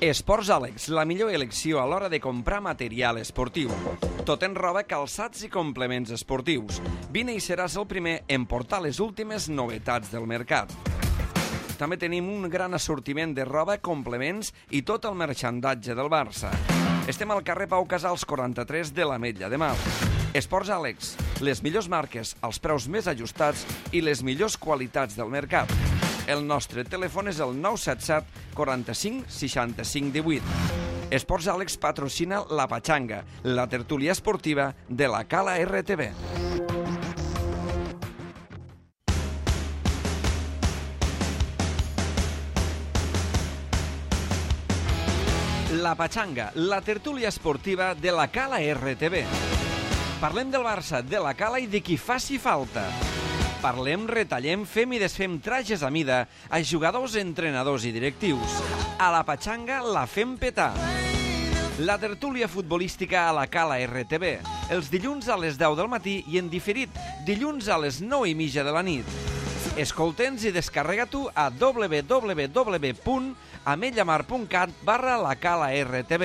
Esports Àlex, la millor elecció a l'hora de comprar material esportiu. Tot en roba, calçats i complements esportius. Vine i seràs el primer en portar les últimes novetats del mercat. També tenim un gran assortiment de roba, complements i tot el marxandatge del Barça. Estem al carrer Pau Casals 43 de l'Ametlla de Mar. Esports Àlex, les millors marques, els preus més ajustats i les millors qualitats del mercat. El nostre telèfon és el 977 45 65 18. Esports Àlex patrocina La Pachanga, la tertúlia esportiva de la Cala RTV. La Pachanga, la tertúlia esportiva de la Cala RTV. Parlem del Barça, de la Cala i de qui faci falta. Parlem, retallem, fem i desfem trajes a mida a jugadors, entrenadors i directius. A la Pachanga la fem petar. La tertúlia futbolística a la Cala RTV. Els dilluns a les 10 del matí i en diferit dilluns a les 9:30 de la nit. Escolta'ns i descarrega-t'ho a www.ametllamar.cat/lacala-rtv.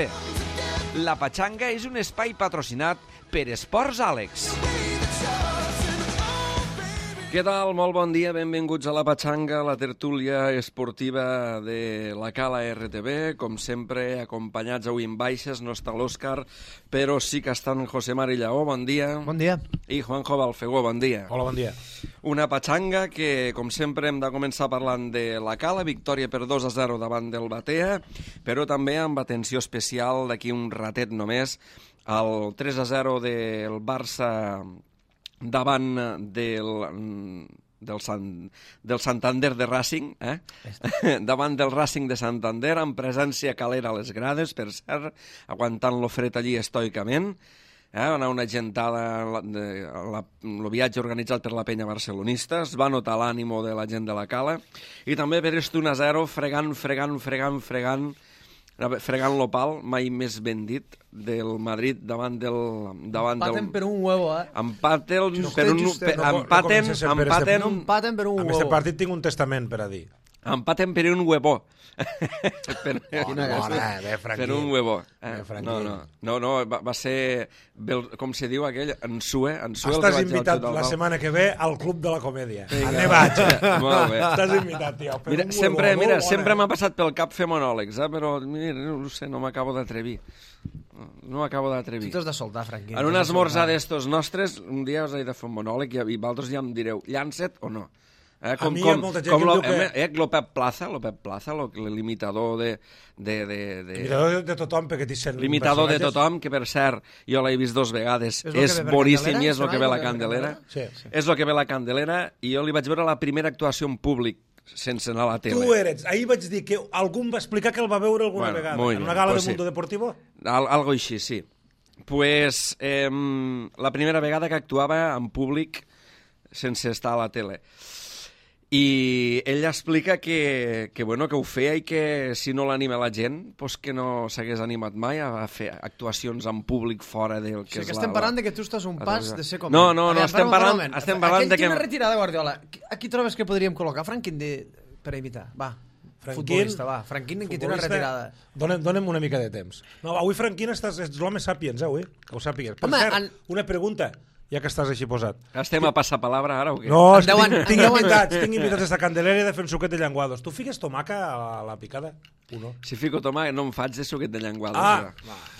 La Pachanga és un espai patrocinat per Esports Àlex. Què tal? Molt bon dia, benvinguts a La Pachanga, la tertúlia esportiva de la Cala RTV. Com sempre, acompanyats avui en baixes, no està l'Òscar, però sí que estan José Mari Lleó, bon dia. Bon dia. I Juanjo Balfegó, bon dia. Hola, bon dia. Una Pachanga que, com sempre, hem de començar parlant de la Cala, victòria per 2-0 davant del Batea, però també amb atenció especial d'aquí un ratet només, el 3-0 del Barça davant del Santander de Racing, davant del Racing de Santander, amb presència calera a les grades, per cert, aguantant lo fred allí estoicament. Va anar una gentada, el viatge organitzat per la penya barcelonista, es va notar l'ànimo de la gent de la Cala, i també per este 1-0, fregant l'opal, mai més ben dit, del Madrid davant del... Empaten per un huevo, Empaten per un huevo. En aquest partit tinc un testament per a dir. Empaten per un huevo. Per un huevo. No, va ser, com se diu aquell, ensue. Estàs invitat la setmana que ve al Club de la Comèdia. Ne vaig. Molt bé. Estàs invitat, tio. Sempre m'ha passat pel cap fer monòlegs, però no sé, no m'acabo d'atrevir. Tu t'has de soltar, Franquín. En un esmorzar d'estos nostres, un dia us he de fer un monòleg i vosaltres ja em direu, llança't o no? A mi hi ha molta gent que em diu que... López Plaza, l'imitador de... L'imitador de tothom, perquè t'hi sent... L'imitador de tothom, que per cert, jo l'he vist 2 vegades, és boníssim i és el que ve la Candelera. És el que ve la Candelera, i jo li vaig veure la primera actuació en públic, sense anar a la tele. Tu eres. Ahir vaig dir que algú em va explicar que el va veure alguna vegada. En una gala de Mundo Deportivo? Algo així, sí. Pues la primera vegada que actuava en públic sense estar a la tele. I ell explica que ho feia i que si no l'anima la gent, pues que no s'hagués animat mai a fer actuacions en públic fora del que és la... estem parlant de que tu estàs un pas de ser com... No, estem parlant de que... Aquell quina retirada, Guardiola. A qui trobes que podríem col·locar? Franquín per imitar. Va, futbolista, va. Franquín que té una retirada. Dóna'm una mica de temps. No, avui Franquín ets l'home sàpiens, avui, que ho sàpigues. Per cert, una pregunta... Ja que estàs així posat. Estem a passar palabra ara o què? No, tinc invitats a Candelera i de fer un suquet de llenguados. Tu fiques tomaca a la picada o no? Si fico tomaca no em faig de suquet de llenguados.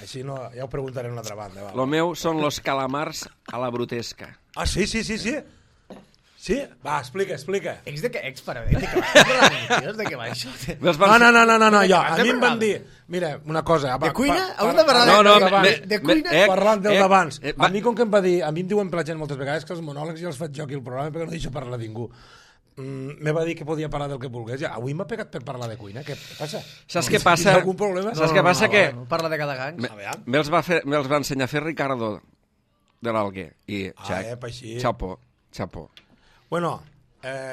Així no, ja ho preguntaré en una altra banda. Lo meu són los calamars a la brutesca. Ah, sí? Sí? Va, explica. De què va això? No, a mi em van dir... Mira, una cosa... De cuina? Hem de parlar de cuina? Parlant del d'abans. A mi, com que em va dir... A mi em diuen per la gent moltes vegades que els monòlegs ja els faig jo aquí al programa perquè no deixo parlar ningú. Me va dir que podia parlar del que volgués. Avui m'ha pegat per parlar de cuina. Què passa? Saps què passa? Algun problema? Saps què passa? Que... Parla de cada gang. Me'ls va ensenyar a fer Ricardo de l'Alguer. I xapó. Bueno,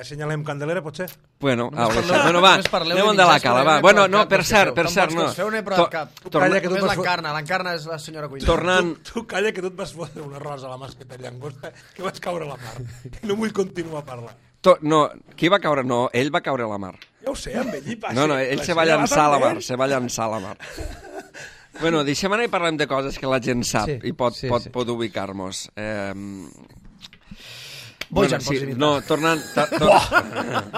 senyalem Candelera, potser? Bueno, va, anem de la Cala, va. Bueno, no, per cert, no. Feu una prova de cap. Només l'encarna és la senyora cuina. Tornant... Tu calla que tu et vas fotre una rosa a la masqueta llangosta que vaig caure a la mar. No vull continuar a parlar. No, qui va caure? No, ell va caure a la mar. Ja ho sé, amb ell hi passa. No, ell se va llançar a la mar, se va llançar a la mar. Bueno, deixem anar i parlem de coses que la gent sap i pot ubicar-nos. Bojan, pots imitar. No, tornant...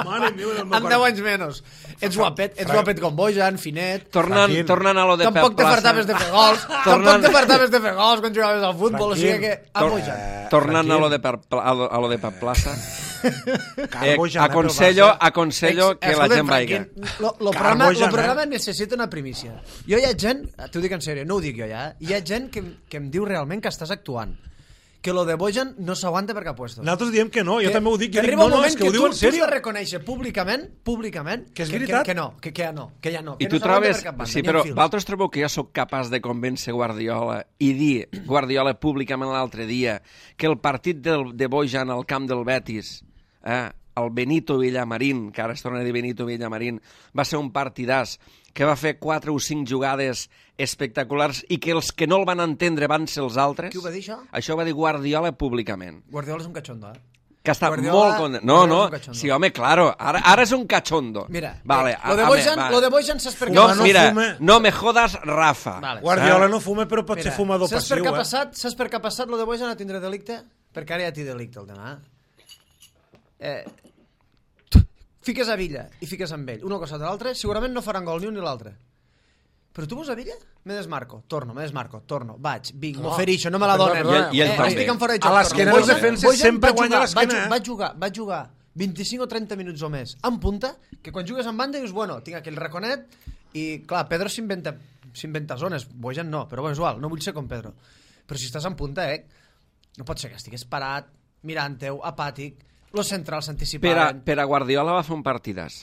Mare meva, amb 10 anys menys. Ets guapet com Bojan, finet... Tornant a lo de Pep Plaça... Tampoc te fartaves de fer gols, quan jugaves al futbol, o sigui que... A Bojan. Tornant a lo de Pep Plaça... aconsello que la gent vagi. El programa necessita una primícia. Jo hi ha gent, t'ho dic en sèrio, no ho dic jo ja, hi ha gent que em diu realment que estàs actuant. Que lo de Bojan no s'aguanta per cap puesto. Nosaltres diem que no, jo també ho dic. Arriba un moment que ho diu en sèrio. Tu has de reconèixer públicament que és veritat. Que ja no. I tu trobes... Sí, però vosaltres trobeu que jo sóc capaç de convèncer Guardiola i dir, Guardiola públicament l'altre dia, que el partit de Bojan al camp del Betis, el Benito Villamarín, que ara es torna a dir Benito Villamarín, va ser un partidàs que va fer 4 o 5 jugades espectaculars i que els que no el van entendre van ser els altres. Qui ho va dir, això? Això ho va dir Guardiola públicament. Guardiola és un cachondo, Que està molt content. No, sí, home, claro, ara és un cachondo. Mira, vale, lo de Bojan saps per què no, mira, no me jodas, Rafa. Vale. Guardiola no fuma, però pot ser fumador passiu. Saps per què ha passat lo de Bojan a tindre delicte? Perquè ara ja té delicte el tema. Fiques a Villa i fiques amb ell, una cosa de l'altra, segurament no faran gol ni un ni l'altre. Però tu veus a Villa? Me desmarco, torno, vaig, vinc, m'oferixo, no me la donen. Estic en fora de joc. A l'esquena dels defenses sempre guanya l'esquena. Va jugar 25 o 30 minuts o més en punta, que quan jugues en banda dius, bueno, tinc aquell raconet, i clar, Pedro s'inventa zones, Bojan no, però bueno, és igual, no vull ser com Pedro. Però si estàs en punta, no pot ser que estigués parat, mirant-teu, apàtic, los centrals s'anticipaven. Per a Guardiola va fer un partidàs.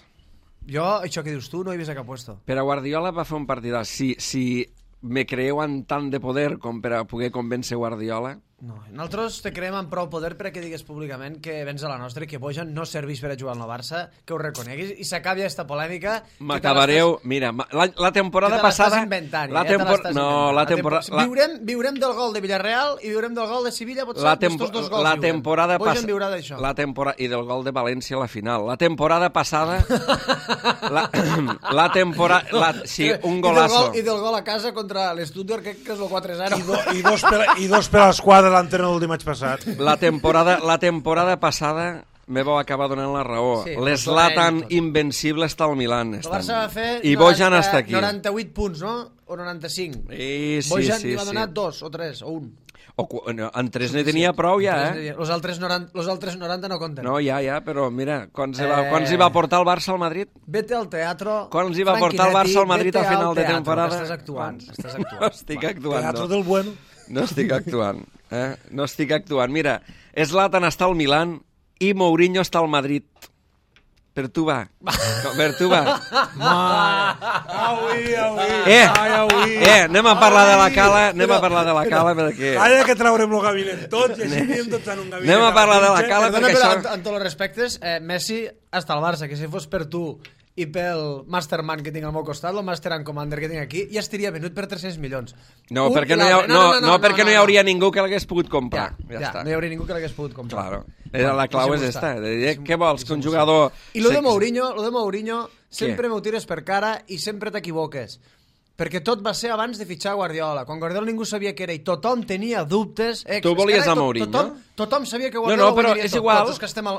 Jo, això que dius tu, no he vist a cap puesto. Per a Guardiola va fer un partidàs. Si me creu en tant de poder com per a poder convèncer Guardiola... No, nosaltres te creem amb prou poder perquè digues públicament que vens a la nostra i que Bojan no serveix per a jugar al Barça, que ho reconeguis i s'acabi aquesta polèmica. M'acabareu... Mira, la temporada passada... Viurem del gol de Villarreal i viurem del gol de Sevilla, potser estos dos gols. La temporada Bojan viurà d'això. I del gol de València a la final. La temporada passada... la temporada... Sí, un golazo. I del gol a casa contra l'Stuttgart, que és el 4-0. I dos per a l'esquadra l'entrena del dimarts passat. La temporada passada me vau acabar donant la raó. Sí, l'Zlatan invencible està al Milan. El Barça va fer i Bojan està aquí. 98 punts, no? O 95. Bojan li va donar 2 o 3 o 1. En 3 ne tenia prou ja, Los altres 90 no compten. No, ja, però mira, quants hi va portar el Barça al Madrid? Vete al teatro. Quants hi va portar el Barça al Madrid a final de temporada? Estàs actuant. No estic actuant. Teatro del bueno. No estic actuant. No estic actuant. Mira, Zlatan està al Milan i Mourinho està al Madrid. Per tu va. Anem a parlar de la cala, perquè... Calla que traurem el gabinet tots i així anem tots en un gabinet. Anem a parlar de la cala perquè això... En tots els respectes, Messi està al Barça, que si fos per tu i pel Masterman que tinc al meu costat, el Master and Commander que tinc aquí, ja estaria venut per 300 milions. No, perquè no hi hauria ningú que l'hagués pogut comprar. Ja està. No hi hauria ningú que l'hagués pogut comprar. Claro. La clau és esta. Què vols? Que un jugador... I lo de Mourinho, sempre m'ho tires per cara i sempre t'equivoques. Perquè tot va ser abans de fitxar Guardiola. Quan Guardiola ningú sabia què era i tothom tenia dubtes. Tu volies a Mourinho? Tothom sabia que Guardiola guanyaria tot. Igual.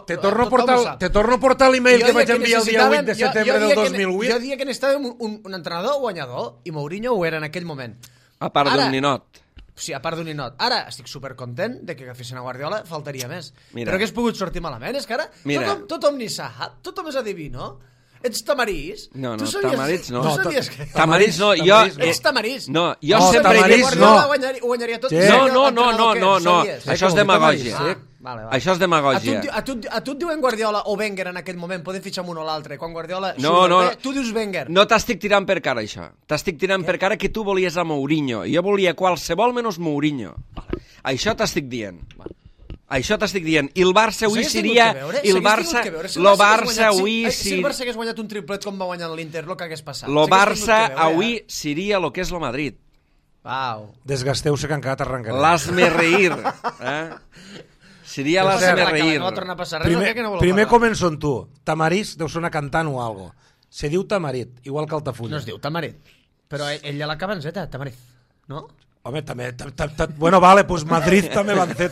Te torno a portar l'email que vaig enviar el dia 8 de setembre del 2008. Jo dia que necessitàvem un entrenador guanyador i Mourinho ho era en aquell moment. A part d'un ninot. Sí, a part d'un ninot. Ara estic supercontent de que agafessin a Guardiola, faltaria més. Però hagués pogut sortir malament, és que ara tothom ni sap, tothom és adiví, no? Ets tamarís? No, tamarís no. Tu sabies que... Tamarís no, Ets tamarís? No, jo sempre he dit... Guardola ho guanyaria tot. No. Això és demagògia. Això és demagògia. A tu et diuen Guardiola o Wenger en aquell moment, podem fitxar un o l'altre. Quan Guardiola... No. Tu dius Wenger. No t'estic tirant per cara, això. T'estic tirant per cara que tu volies a Mourinho. Jo volia qualsevol menys Mourinho. Això t'estic dient. Això t'estic dient. I el Barça avui seria... El Barça avui... Si el Barça hagués guanyat un triplet com va guanyar l'Inter, el que hagués passat. El Barça avui seria el que és el Madrid. Desgasteu-se que han quedat arrencat. L'hasme reír. Seria l'hasme reír. Primer començo amb tu. Tamarís deu sonar cantant o algo. Se diu Tamarit, igual que Altafulla. No es diu Tamarit. Però ell ja l'acaba en Z, Tamarit. No? Home, també... Bueno, vale, pues Madrid també va en Z.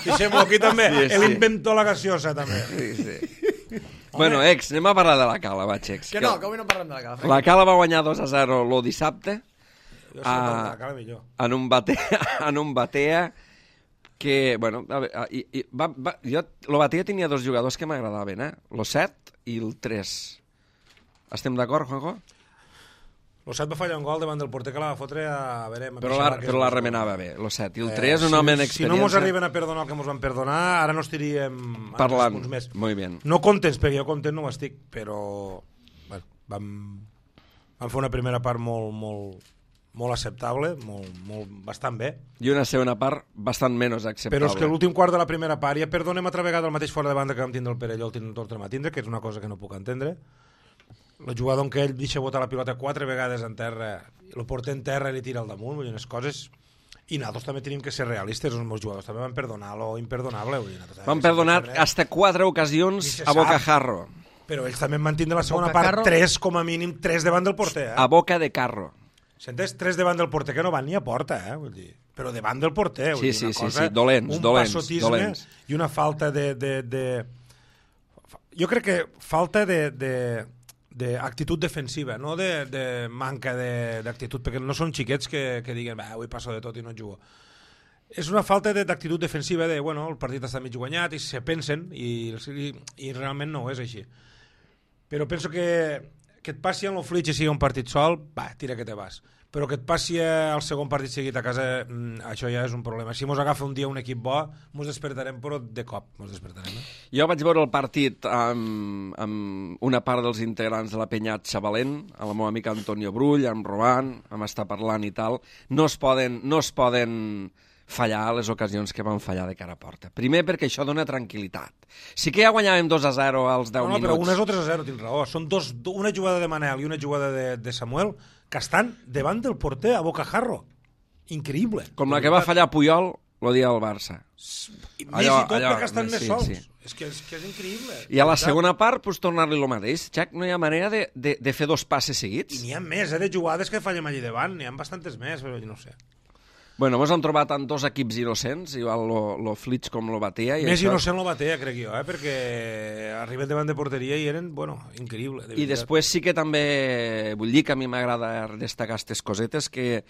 Deixem-ho aquí també. El inventó la gaseosa, també. Sí. Bueno, anem a parlar de la Cala, va, Xecs. Que no, que avui no parlem de la Cala. La Cala va guanyar 2-0 el dissabte. Jo sé la Cala millor. En un batea que, bueno, el batea tenia dos jugadors que m'agradaven, el 7 i el 3. Estem d'acord, Juanjo? El 7 va fallar un gol davant del porter que la va fotre a veure... Però la remenava bé, el 7. I el 3, un home en experiència... Si no mos arriben a perdonar el que mos van perdonar, ara no estaríem... Parlant, molt bé. No contents, perquè jo content no ho estic, però... Bueno, vam fer una primera part molt acceptable, bastant bé. I una segona part bastant menys acceptable. Però és que l'últim quart de la primera part ja perdonem altra vegada el mateix fora de banda que vam tindre el Perelló, el tornem a tindre, que és una cosa que no puc entendre. El jugador en què ell deixa botar la pilota 4 vegades en terra, el porter en terra i li tira al damunt, vull dir, unes coses... I nosaltres també tenim que ser realistes, els meus jugadors també van perdonar lo imperdonable. Van perdonar hasta 4 ocasions a bocajarro. Però ells també van tindre la segona part 3, com a mínim, 3 davant del porter. A boca de carro. S'entens? 3 davant del porter, que no van ni a porta, vull dir. Però davant del porter. Sí, dolents. Un passotisme i una falta de... Jo crec que falta d'actitud defensiva, no de manca d'actitud, perquè no són xiquets que diguen avui passo de tot i no jugo. És una falta d'actitud defensiva de, bueno, el partit està mig guanyat i se pensen i realment no és així. Però penso que et passi en el Fluig i sigui un partit sol, tira que te vas. Però que et passi el segon partit seguit a casa, això ja és un problema. Si mos agafa un dia un equip bo, mos despertarem, però de cop mos despertarem. Jo vaig veure el partit amb una part dels integrants de la Penyat Xavalent, amb el meu amic Antonio Brull, amb Roban, amb estar parlant i tal. No es poden fallar les ocasions que van fallar de cara a porta. Primer perquè això dona tranquil·litat. Sí que ja guanyàvem 2-0 als 10 minuts. Però unes o 3-0, tens raó. Són una jugada de Manel i una jugada de Samuel que estan davant del porter a bocajarro. Increïble. Com la que va fallar Puyol el dia del Barça. Més i tot perquè estan més sols. Sí. És que és increïble. I a la segona part, pues, tornar-li el mateix. Jack, no hi ha manera de fer 2 passes seguits? I n'hi ha més, de jugades que fallem allí davant. N'hi ha bastantes més, però jo no sé. Bueno, mos han trobat en 2 equips innocents, igual lo Flitz com lo Batea. Més innocent lo Batea, crec jo, perquè arriben davant de porteria i eren, increïble. I després sí que també, vull dir que a mi m'agrada destacar aquestes cosetes, que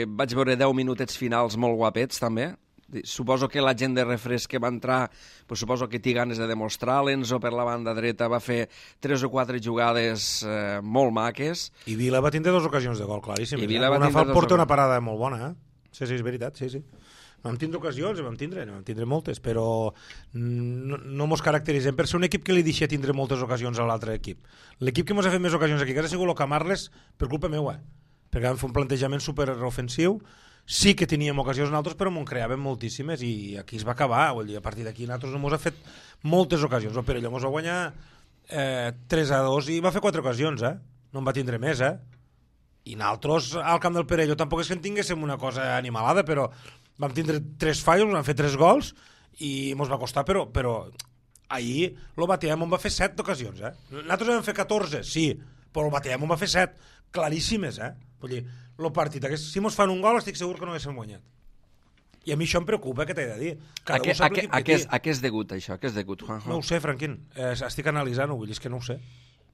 vaig veure 10 minutets finals molt guapets, també. Suposo que la gent de refresc que va entrar, pues suposo que té ganes de demostrar. L'Enzo per la banda dreta va fer 3 o 4 jugades molt maques. I Vila va tindre 2 ocasions de gol, claríssim. I Vila va tindre 2 ocasions. Una parada molt bona, Sí, és veritat, sí. Vam tindre ocasions, vam tindre moltes, però no mos caracteritzem per ser un equip que li deixa tindre moltes ocasions a l'altre equip. L'equip que mos ha fet més ocasions aquí, que ha sigut el Camarles, per culpa meua, perquè vam fer un plantejament superofensiu. Sí que teníem ocasions nosaltres, però m'ho creàvem moltíssimes i aquí es va acabar. Vull dir, a partir d'aquí nosaltres no mos ha fet moltes ocasions. El Perelló mos va guanyar 3-2 i va fer 4 ocasions, no en va tindre més, I nosaltres al camp del Perelló tampoc és que en tinguéssim una cosa animalada, però vam tindre 3 fallos, vam fer 3 gols i mos va costar, però ahir el Batea m'ho va fer 7 ocasions, Nosaltres vam fer 14, sí, però el Batea m'ho va fer 7, claríssimes, Vull dir, el partit, si mos fan un gol estic segur que no haguéssim guanyat. I a mi això em preocupa, que t'he de dir. A què és degut, això? A què és degut, Juanjo? No ho sé, Franquín. Estic analitzant-ho, vull dir, és que no ho sé.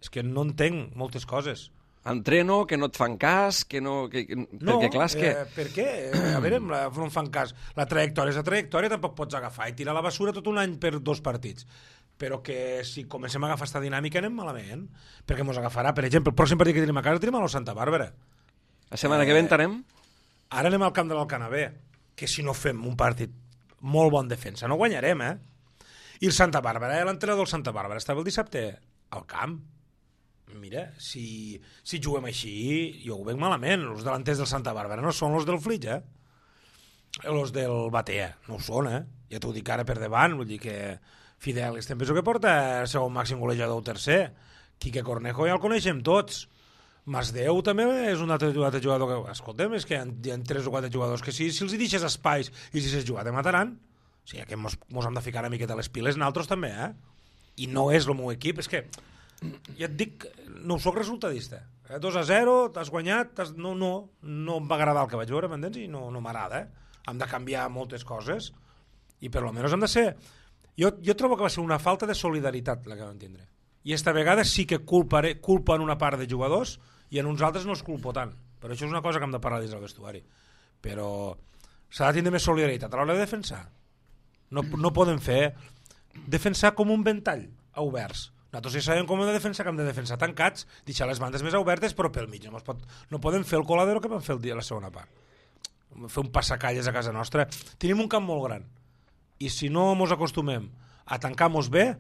És que no entenc moltes coses. Entreno, que no et fan cas, no, perquè clar, és que... Per què? A veure, no em fan cas. La trajectòria és la trajectòria, tampoc pots agafar i tirar a la basura tot un any per 2 partits. Però que si comencem a agafar aquesta dinàmica anem malament, perquè mos agafarà, per exemple, el pròxim partit que tenim a casa tenim a la Santa Bàrbara. La setmana que ve entenem? Ara anem al camp de l'Alcanavè, que si no fem un partit molt bon defensa no guanyarem, I el Santa Bàrbara, l'entrenador del Santa Bàrbara estava el dissabte al camp. Mira, si juguem així, jo ho veig malament. Els delanters del Santa Bàrbara no són els del Flitx, Els del Batea, no ho són, Ja t'ho dic ara per davant, vull dir que Fidel, penso que porta el segon màxim golejador o tercer. Quique Cornejo ja el coneixem tots. Masdeu també és un altre jugador que... Escolta'm, és que hi ha 3 o 4 jugadors que si els deixes espais i si s'has jugat te mataran. O sigui, que mos hem de ficar una miqueta a les piles nosaltres també, I no és el meu equip, és que ja et dic, no soc resultadista. 2-0, t'has guanyat, no em va agradar el que vaig veure, m'entens? I no m'agrada. Hem de canviar moltes coses i per almenys hem de ser... Jo trobo que va ser una falta de solidaritat la que vam tindre. I esta vegada sí que culpen una part de jugadors i en uns altres no els culpo tant. Però això és una cosa que hem de parlar dins del vestuari. Però s'ha de tindre més solidaritat a l'hora de defensar. No podem fer defensar com un ventall a oberts. Nosaltres ja sabem com hem de defensar, que hem de defensar tancats, deixar les bandes més obertes, però pel mig no podem fer el coladero que vam fer la segona part. Fer un passacalles a casa nostra. Tenim un camp molt gran i si no ens acostumem a tancar-nos bé,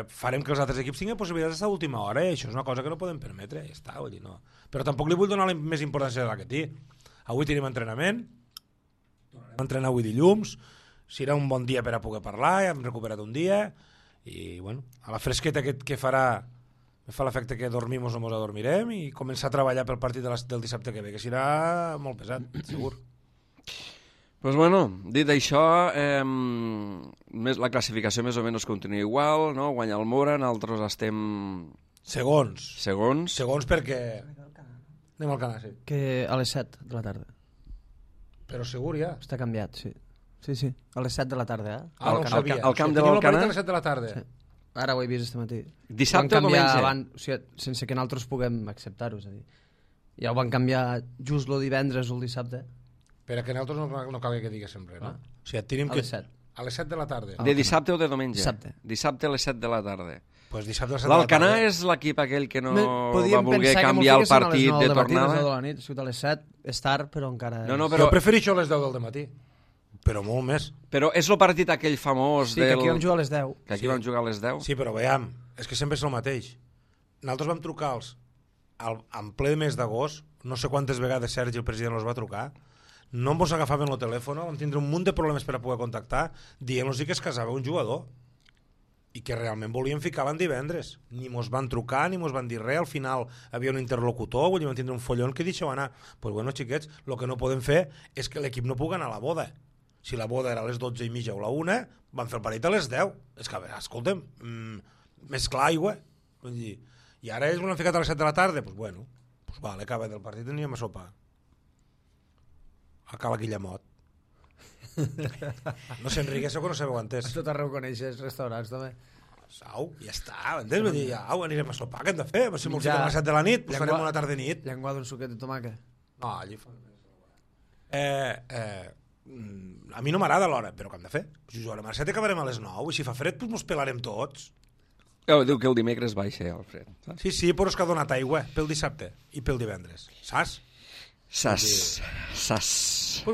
farem que els altres equips tinguin possibilitats d'estar a última hora, i això és una cosa que no podem permetre, ja està, vull dir, no. Però tampoc li vull donar més importància de la que té. Avui tenim entrenament, tornarem a entrenar avui dilluns, serà un bon dia per a poder parlar, ja hem recuperat un dia, i bueno, a la fresqueta que farà, me fa l'efecte que dormim o mos adormirem, i començar a treballar pel partit del dissabte que ve, que serà molt pesat, segur. Pues bueno, dit això, la classificació més o menys continua igual, no? Guanya el Mora, nosaltres estem... Segons perquè... Anem al Canà, sí. Que a les 7 de la tarda. Però segur ja. Està canviat, sí. Sí, a les 7 de la tarda, eh? No ho sabia. Al camp de l'Alcanar? A les 7 de la tarda. Sí. Ara ho he vist este matí. Dissabte o diumenge? O sigui, sense que nosaltres puguem acceptar-ho, és a dir. Ja ho van canviar just el divendres o el dissabte. Per a que nosaltres no calgui que diguéssim res, no? O sigui, tenim a les 7. A les 7 de la tarda. De dissabte o de diumenge? Dissabte. Dissabte a les 7 de la tarda. Pues dissabte a les 7 de la tarda. L'Alcanar és l'equip aquell que no va voler canviar el partit de tornada? A les 9 de la nit, a les 7, és tard, però encara... No, però... Jo prefereixo a les 10 del matí, però molt més. Però és el partit aquell famós del... Sí, que aquí vam jugar a les 10. Que aquí vam jugar a les 10? Sí, però veiem, és que sempre és el mateix. Nosaltres vam trucar en ple mes d'agost, no sé quantes vegades Sergi, el president, els va trucar, no ens agafaven el telèfon, vam tindre un munt de problemes per a poder contactar, dient-los que es casava un jugador i que realment volien ficar l'en divendres. Ni mos van trucar, ni mos van dir res, al final havia un interlocutor, vull dir, vam tindre un follon que deixeu anar. Pues bueno, xiquets, el que no podem fer és que l'equip no pugui anar a la boda. Si la boda era a les 12:30 o la 1, van fer el partit a les 10. És que, a veure, escolta'm, més clar aigua. Vull dir, i ara ells l'han ficat a les 7 de la tarda, pues bueno, pues vale, acaba del partit anirem a sopar. A Cala Guillemot. No s'enriqueixeu que no sabeu entès. A tot arreu coneixes restaurants, també. Au, ja està, entens? Vull dir, au, anirem a sopar, què hem de fer? Si m'ho fiquem a les 7 de la nit, pues farem una tarda de nit. Llenguà d'un suquet de tomàquet. No, allí fa... a mi no m'agrada l'hora, però què hem de fer? Si jugarem a les 7 acabarem a les 9, i si fa fred, pues mos pelarem tots. Diu que el dimecres baixa el fred. Sí, però és que ha donat aigua pel dissabte i pel divendres. Saps? Pues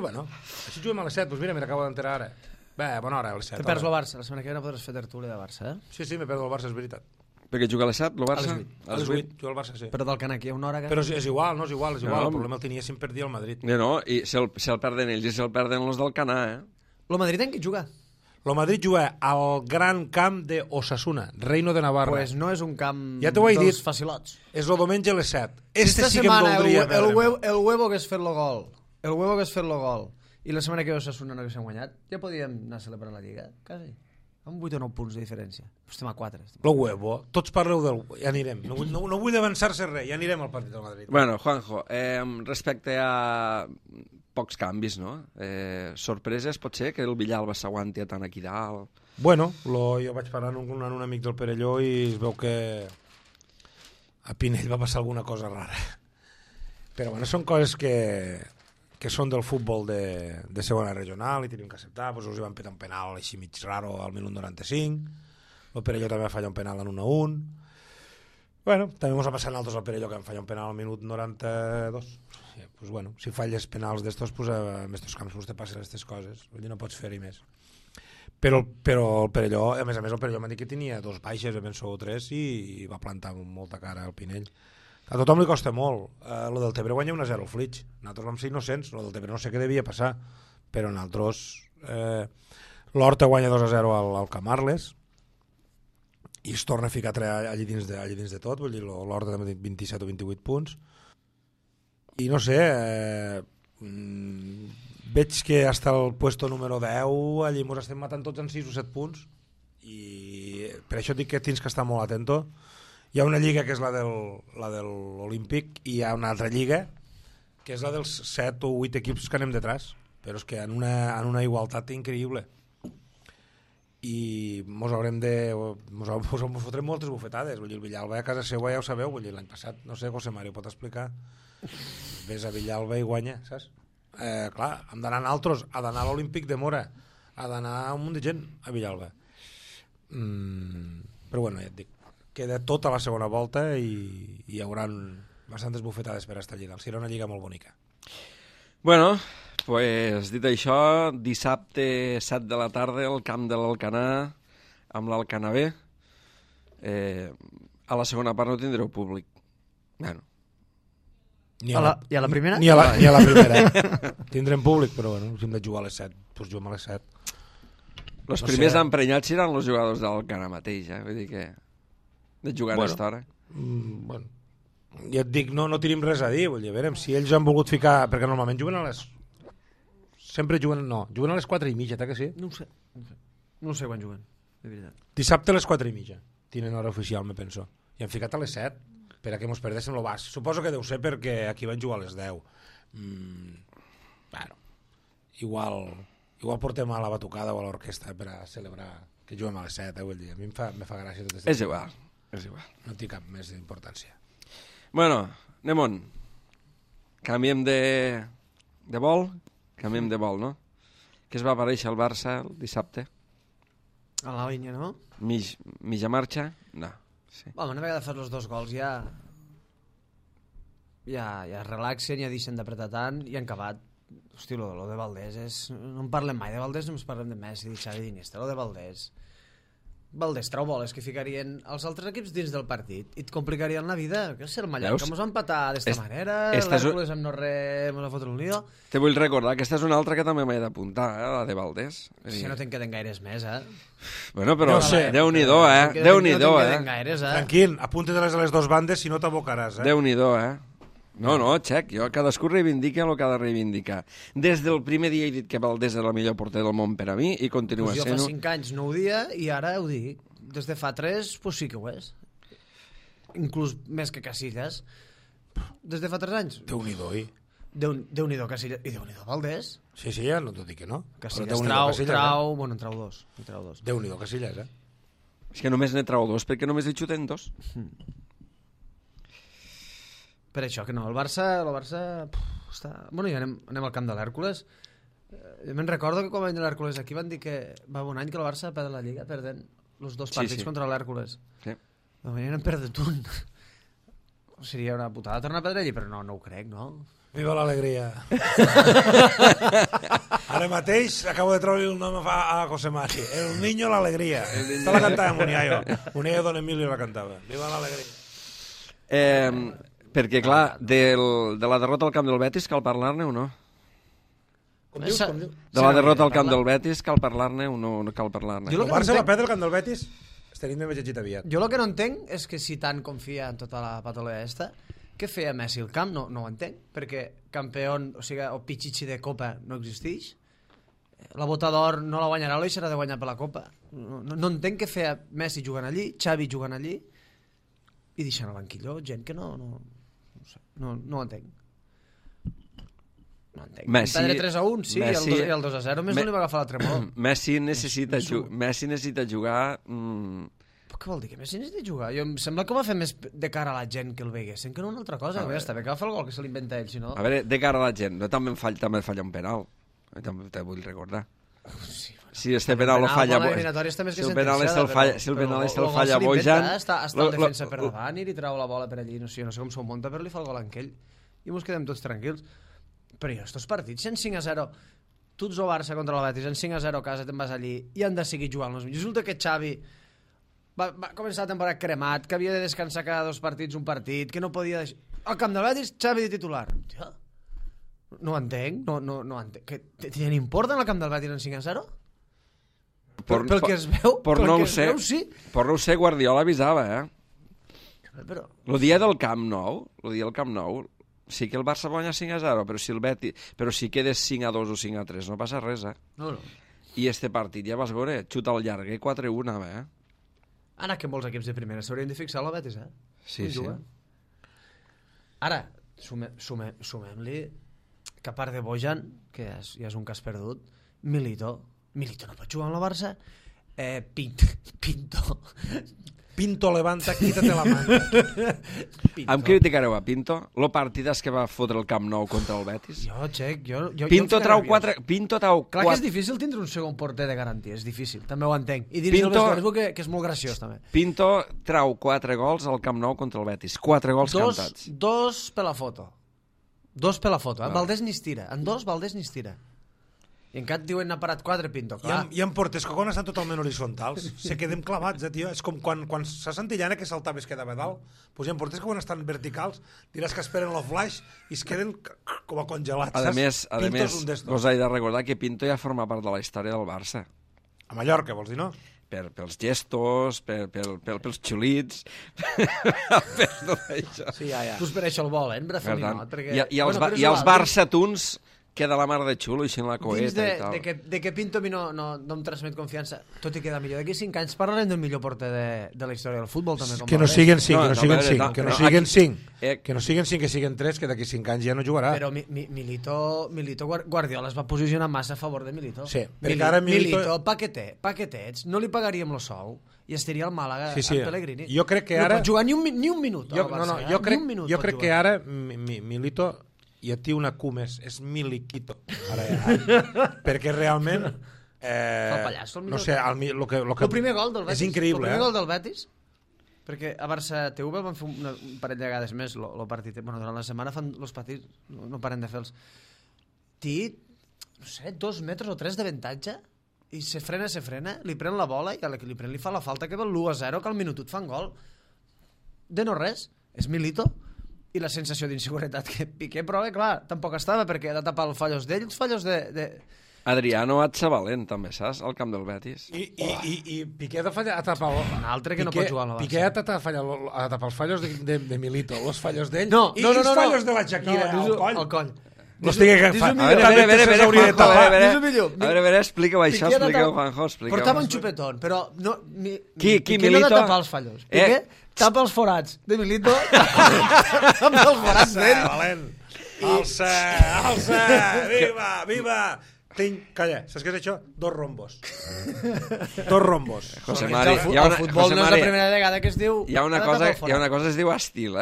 bueno, així juguem a les 7, doncs mira, m'acabo d'enterar ara. Bé, bona hora, a les 7. Te perds el Barça, la setmana que ve no podràs fer tertúlia de Barça, eh? Sí, me perdo el Barça, és veritat. Perquè juga a les 7, el Barça? A les 8, juga el Barça, sí. Però del Canac hi ha una hora que... Però és igual, no és igual, el problema el tenia si em perdia el Madrid. No, i si el perden ells i si el perden els del Canà, eh? El Madrid en què juga? El Madrid juga al gran camp de Osasuna, Reino de Navarra. Pues no és un camp ja dels dit, facilots. És el diumenge a les 7. Esta sí que em voldria el huevo que és fer-lo gol. El huevo que és fer-lo gol. I la setmana que ve Osasuna no haguéssim guanyat, ja podíem anar a celebrar la Lliga, quasi. Amb 8 o 9 punts de diferència. Però estem a 4. El huevo. Tots parleu del... Ja anirem. No vull avançar-se res. Ja anirem al partit del Madrid. Bueno, Juanjo, respecte a pocs canvis, no? Sorpreses, pot ser que el Villalba s'aguanti tant aquí dalt? Bueno, jo vaig parlar amb un amic del Perelló i es veu que a Pinell va passar alguna cosa rara. Però bueno, són coses que són del futbol de segona regional i tenim que acceptar. Pues us hi van petar un penal així mig raro al minut 95. El Perelló també va fallar un penal en 1-1. Bueno, també ens ha passat nosaltres al Perelló que vam fallar un penal al minut 92. Pues bueno, si falles penals d'estos, pues en estos camps te passen aquestes coses. Vull dir, no pots fer-hi més. Però el Perelló, a més el Perelló m'ha dit que tenia 2 baixes, penso 3, i va plantar molta cara al Pinell. A tothom li costa molt. Lo del Tebre guanya 1-0 al Flix. Nosaltres vam ser innocents. Lo del Tebre no sé què devia passar, però nosaltres... l'Horta guanya 2-0 al Camarles i es torna a ficar allí dins de tot. Vull dir, l'Horta també té 27 o 28 punts. I no sé... veig que hasta el puesto número 10 allí ens estem matant tots en 6 o 7 punts i per això dic que tens que estar molt atento Hi ha una lliga que és la de l'Olímpic i hi ha una altra lliga que és la dels 7 o 8 equips que anem detrás, però és que en una igualtat increïble. I mos fotrem moltes bufetades. Vull dir, el Villalba a casa seva ja ho sabeu, vull dir, l'any passat, no sé, José Mario pot explicar, ves a Villalba i guanya, saps? Clar, hem d'anar a altres, ha d'anar a l'Olímpic de Mora, ha d'anar un munt de gent a Villalba. Però bueno, ja et dic, queda tota la segona volta i hi haurà bastantes bufetades per a esta lliga. Serà una lliga molt bonica. Bueno, pues, dit això, dissabte 7 de la tarda al camp de l'Alcanar amb l'Alcanar B. A la segona part no tindreu públic. Bueno. I a la primera? Ni a la primera. Tindrem públic, però bueno, si hem de jugar a les 7, doncs juguem a les 7. Els primers emprenyats seran els jugadors de l'Alcanar mateix, vull dir que de jugar a aquesta hora. Bueno, ja et dic, no tenim res a dir, vull dir, a veure, si ells han volgut ficar, perquè normalment juguen a les... Sempre juguen a les 4:30, que sí? No ho sé quan juguen, de veritat. Dissabte a les 4:30, tenen hora oficial, me penso. I han ficat a les 7, per a que mos perdéssim el bas. Suposo que deu ser perquè aquí van jugar a les 10. Bueno, igual portem a la batucada o a l'orquestra per a celebrar que juguem a les 7, vull dir, a mi me fa gràcia tot És igual. No té cap més d'importància. Bueno, anem on? Canviem de vol? Canviem de vol, no? Que es va aparèixer el Barça el dissabte? A la línia, no? Mitja marxa? No. Sí. Home, una vegada fas els 2 gols ja es relaxen, ja deixen d'apretar tant i han acabat. Hosti, lo de Valdés és... No en parlem mai de Valdés, només parlem de Messi, de Xavi, d'Iniesta. Lo de Valdés trau boles que ficarien els altres equips dins del partit i et complicarien la vida. Que és el Mallorca, que mos va empatar d'esta manera, l'Hèrcules amb no res mos va fotre un lío. Te vull recordar que aquesta és una altra que també m'he d'apuntar, la de Valdés. Si no te'n queden gaires més, Bueno, però no sé. Déu-n'hi-do, Déu-n'hi-do, Tranquil, apunta-te-les a les 2 bandes si no t'abocaràs, Déu-n'hi-do, No, Xec, cadascú reivindica el que ha de reivindicar. Des del primer dia he dit que Valdés era el millor porter del món per a mi i continua sent-ho. sent-ho. Jo fa 5 anys no ho dia i ara ho dic. Des de fa 3, pues sí que ho és. Inclús més que Casillas. Des de fa 3 anys. Déu-n'hi-do, Déu-n'hi-do Casillas. I Déu-n'hi-do Valdés. Sí, ja no t'ho dic que no. Casillas bueno, en trau dos. Déu-n'hi-do Casillas, És que només n'he trau 2, perquè només hi xuten 2. Per això que no, el Barça està... Bueno, ja anem al camp de l'Hèrcules. Jo me'n recordo que quan va venir l'Hèrcules aquí van dir que va un any que el Barça perd la Lliga perdent els 2 partits contra l'Hèrcules. Sí. Va venir en perdut un. Seria una putada tornar a perdre allí, però no ho crec, no? Viva l'alegria. Ara mateix acabo de trobar el nom a José Mari. El niño l'alegria. Esta la cantava Muniayo. Muniayo Don Emilio la cantava. Viva l'alegria. Perquè, clar, de la derrota al camp del Betis cal parlar-ne o no? Com dius? De la derrota al camp del Betis cal parlar-ne o no cal parlar-ne? El Barça va perdre el camp del Betis, estaríem més llegit aviat. Jo el que no entenc és que si tant confia en tota la patolea esta, què feia Messi al camp? No ho entenc, perquè campió, o pichichi de Copa no existeix. La bota d'or no la guanyarà o la deixarà de guanyar per la Copa. No entenc què feia Messi jugant allí, Xavi jugant allí i deixant al banquillo gent que no ho entenc. No entenc. Messi, perdre 3-1, sí, Messi, i el 2-0 més no li va agafar la tremor. Messi necessita jugar... Però què vol dir que Messi necessita jugar? Em sembla que ho va fer més de cara a la gent que el veiguessin que no una altra cosa. Està bé que va fer el gol que se l'inventa ell, si no... A veure, de cara a la gent, també falla un penal. També te vull recordar. Sí, si este penal lo falla... Si el penal el falla Bojan... Està en defensa per davant i li trau la bola per allí. No sé com s'ho munta, però li fa el gol a aquell. I mos quedem tots tranquils. Però jo, estos partits, en 5-0, tu ets el Barça contra el Betis, en 5-0 a casa te'n vas allí i han de seguir jugant els millors. Resulta que Xavi va començar la temporada cremat, que havia de descansar cada 2 partits un partit, que no podia... Al camp del Betis, Xavi de titular. Hòstia, no ho entenc, no entenc. Que tenen import en el camp del Betis en 5-0? Pel que es veu, sí. Per no ho sé, Guardiola avisava, Però... El dia del Camp Nou, sí que el Barça va guanyar 5-0, però si quedes 5-2 o 5-3 no passa res, No. I este partit ja vas veure, xuta al llarguer 4-1, Ara que molts equips de primera s'haurien de fixar a la Betis, Sí, sí. Ara, sumem-li que a part de Bojan, que ja és un cas perdut, Milito no pot jugar amb la Barça, Pinto levanta, quítate la manta. Em criticareu a Pinto? Lo partides que va fotre el Camp Nou contra el Betis? Jo Pinto trau quatre... 4... Pinto trau 4... Clar que és difícil tindre un segon porter de garantia, és difícil, també ho entenc. I dins del Estrasburg, que és molt graciós, també. Pinto trau 4 gols al Camp Nou contra el Betis. 4 gols cantats. Dos per la foto. Valdés ni es tira. En dos, Valdés ni es tira. I en cap diuen n'ha parat 4, Pinto, clar. Hi ha porters que quan estan totalment horitzontals se queden clavats, tio. És com quan s'ha Santillana que saltava i es quedava dalt. Pues hi ha porters que quan estan verticals diràs que esperen el flash i es queden com a congelats. A més, vos he de recordar que Pinto ja forma part de la història del Barça. A Mallorca, vols dir, no? Pels gestos, pels xulits, per tot això. Sí, ja. Tu per això el volen, Brafelinot. I els Barça-tuns queda la mar de xulo, així en la coeta i tal. De que Pinto a mi no em transmet confiança, tot i queda millor. D'aquí 5 anys parlarem del millor porter de la història del futbol, també. Que no siguin 5, que no siguin 5, que siguin 3, que d'aquí 5 anys ja no jugarà. Però Milito Guardiola es va posicionar massa a favor de Milito. Sí, perquè ara Milito paquetets, no li pagaríem el sou i estaria al Màlaga amb Pellegrini. Jo crec que ara... No pot jugar ni un minut al Barça. Jo crec que ara Milito ja té una cumes, és Miliquito. Perquè realment... el pallasso, el no sé, el primer gol del Betis. És increïble, el primer gol del Betis, perquè a Barça TV van fer un parell de vegades més el partit. Bueno, durant la setmana fan els partits, no paren de fer-los. Té, no sé, 2 metres o 3 d'avantatge i se frena, li pren la bola i a la que li pren li fa la falta que ve el 1-0, que al minutut fan gol. De no res, és Milito. I la sensació d'inseguretat que Piqué, però clar, tampoc estava perquè ha de tapar els fallos d'ell, els fallos de... Adriano Atzabalent, també, saps? Al camp del Betis. I Piqué ha de tapar... Un altre que no pot jugar a la Barça. Piqué ha de tapar els fallos de Milito, els fallos d'ell, i els fallos de la Shakira al coll. No estigui agafant. A veure, explica-ho això, explica-ho, Juanjo. Portava un xupetón, però Qui no ha de tapar els fallos. Piqué tapa els forats de Milito amb els forats d'ell. Alça, viva. Calla, saps què és això? 2 rombos. José Mari, el futbol no és la primera vegada que es diu... Hi ha una cosa que es diu estil,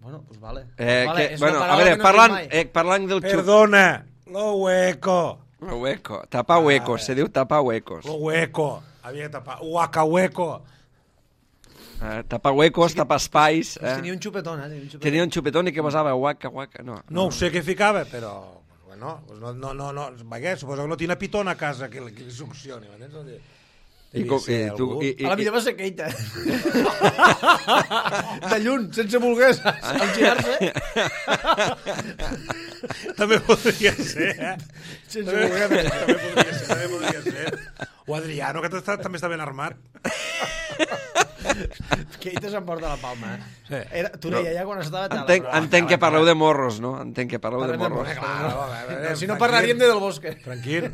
Bueno, pues vale. A veure, parlant del xup... Perdona, lo hueco. Tapar huecos, se diu tapar huecos. Lo hueco, havia de tapar. Huaca-hueco. Tapar huecos, tapar espais. Tenia un xupetón, Tenia un xupetón i que posava huaca. No ho sé què ficava, però... Bueno, suposo que no tiene pitón a casa que li succioni, m'entens? A la millor va ser Keita. De lluny, sense voler girar-se. També podria ser, Sense voler. També podria ser. O Adriano, que també està ben armat. Keita s'emporta la palma, Tu no hi ha ja quan estava tal. Entenc que parleu de morros, no? Entenc que parleu de morros. Si no parlaríem de Del Bosque. Tranquil.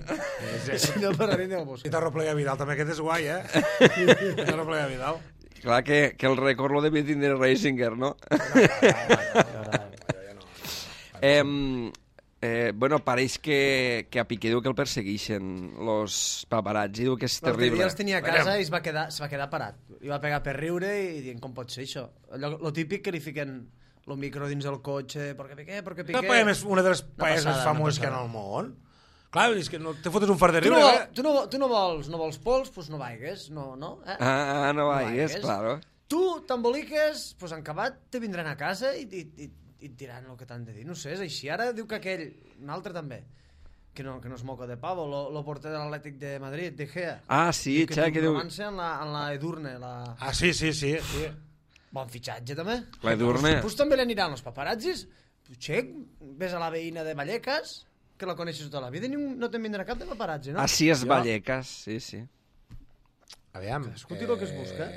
Si no parlaríem de Del Bosque. I Tarroplega Vidal, també aquest és guai, Tarroplega Vidal. Clar que el record lo devia tindre Reisinger, no? Bueno, pareix que a Piqué diu que el persegueixen los paparazzi, diu que és terrible. L'altre dia els tenia a casa i es va quedar parat. I va pegar per riure i dient, com pot ser això? Lo típic que li fiquen el micro dins del cotxe, perquè Piqué... És una de les paelles més famoses que hi ha al món. Clar, és que no te fotes un fart de riure. Tu no vols pols, doncs no vaigues, no? No vaigues, claro. Tu t'emboliques, doncs en acabat te vindran a casa i et diran el que t'han de dir. No sé, és així. Ara diu que aquell, un altre també, que no es moca de pavo, lo porter de l'Atlètic de Madrid, De Gea. Sí, que diu... diu... en la Edurne. Sí. Bon fitxatge, també. La Edurne. Pues també li aniran els paparazzis. Xec, ves a la veïna de Vallecas, que la coneixes tota la vida, i no te'n vindrà cap de paparazzi, no? Sí, és Vallecas, sí. Aviam. Escolti el que es busca.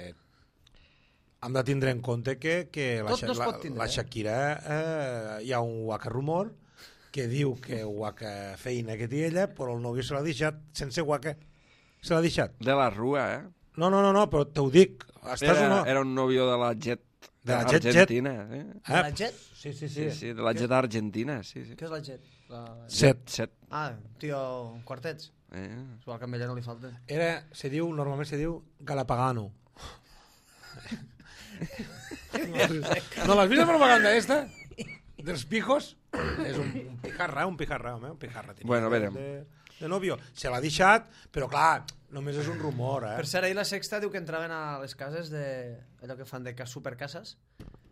Hem de tindre en compte que la Shakira hi ha un guaca rumor que diu que guaca feina que té ella, però el nòvio se l'ha deixat sense guaca. Se l'ha deixat. De la Rua, No, però t'ho dic. Era un nòvio de la Jet De la Jet Argentina. De la Jet? Sí. Sí, de la Jet Argentina, sí. Què és la Jet? Set. Ah, tio, quartets. Sual que a ella no li falta. Normalment se diu Galapagano. No l'has vist la propaganda esta? Dels pijos? És un pijarra, home, un pijarra. Bueno, verem. De novio. Se l'ha deixat, però clar, només és un rumor, Per cert, ahir la Sexta diu que entraven a les cases allò que fan de supercases.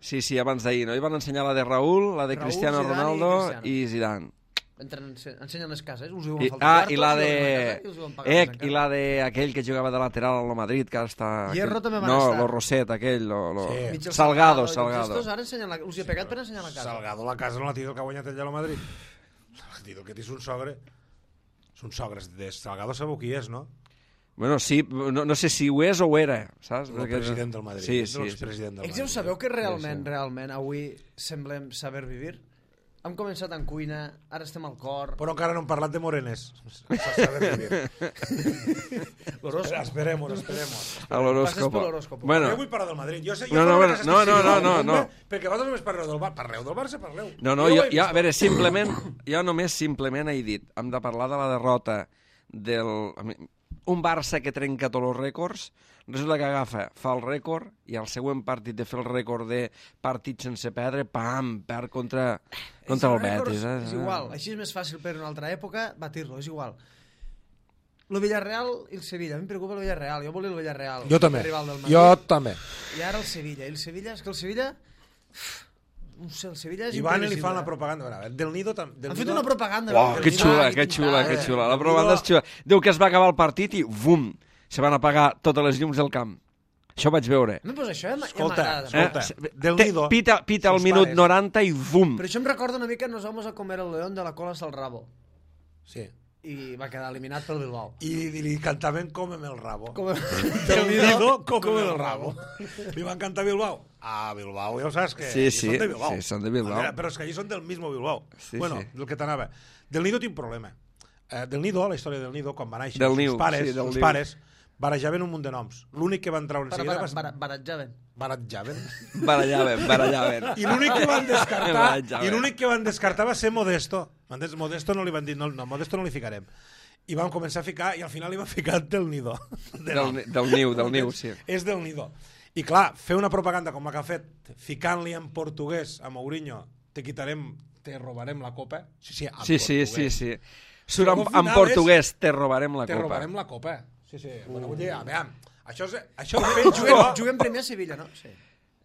Sí, abans d'ahir, no? I van ensenyar la de Raúl, la de Cristiano Zidane Ronaldo i Zidane. Ensenyen les cases, us diuen faltar i la de aquell que jugava de lateral al Madrid, que ara està... Hierro també van estar. No, lo Roset, aquell, Sí. Salgado. Estos ara ensenyen us hi ha pegat per ensenyar la casa. Salgado la casa no la tio que ha guanyat ell a la Madrid. Tio, que tens un sogre. Són sogres de Salgado, sabeu qui és, no? Bueno, sí, no sé si ho és o ho era, saps? El president del Madrid. Sí. Ja ho sabeu que realment avui semblem saber vivir? Hem començat en cuina, ara estem al cor... Però encara no hem parlat de morenes. L'horòscopo. Esperemos. A l'horòscopo. Bueno. Jo vull parlar del Madrid. No. Perquè vosaltres només parleu del Barça. Parleu del Barça, parleu. No, jo, a veure, jo només simplement he dit, hem de parlar de la derrota un Barça que trenca tots els rècords, resulta que fa el rècord i al següent partit de fer el rècord de partits sense perdre, perd contra el Betis. És igual, així és més fàcil per una altra època batir-lo, és igual. El Villarreal i el Sevilla, a mi em preocupa el Villarreal, jo volia el Villarreal. Jo també. I ara el Sevilla, és que el Sevilla... No sé, el Sevilla és Iván li fan la propaganda. Del Nido també. Han fet una propaganda. Que xula. La propaganda és xula. Diu que es va acabar el partit i bum, se van apagar totes les llums del camp. Això ho vaig veure. No, però això ja m'agrada. Del Nido. Pita al minut 90 i bum. Però això em recorda una mica Nos vamos a comer el león de la cola hasta el rabo. Sí. I va quedar eliminat pel Bilbao. I li cantaven Cómeme el rabo. Del Nido, Cómeme el rabo. Li van cantar Bilbao. Bilbao, ja ho saps que són de Bilbao. Sí, són de Bilbao. Però és que allí són del mismo Bilbao. Sí, bueno, del que t'anava. Del Nido tinc un problema. Del Nido, la història del Nido, quan van néixer els pares barajaven un munt de noms. L'únic que van treure en seguida... Barajaven. I l'únic que van descartar va ser Modesto. Modesto no li van dir, no, Modesto no li ficarem. I vam començar a ficar, i al final li van ficar Del Nido. Del niu, sí. És Del Nido. I clar, fer una propaganda com la que ha fet, ficant-li en portuguès a Mourinho, te robarem la copa. Sí. Surt en portuguès, te robarem la copa. Te robarem la copa. Sí. Bueno, vull dir, aviam, això juguem primer a Sevilla, no?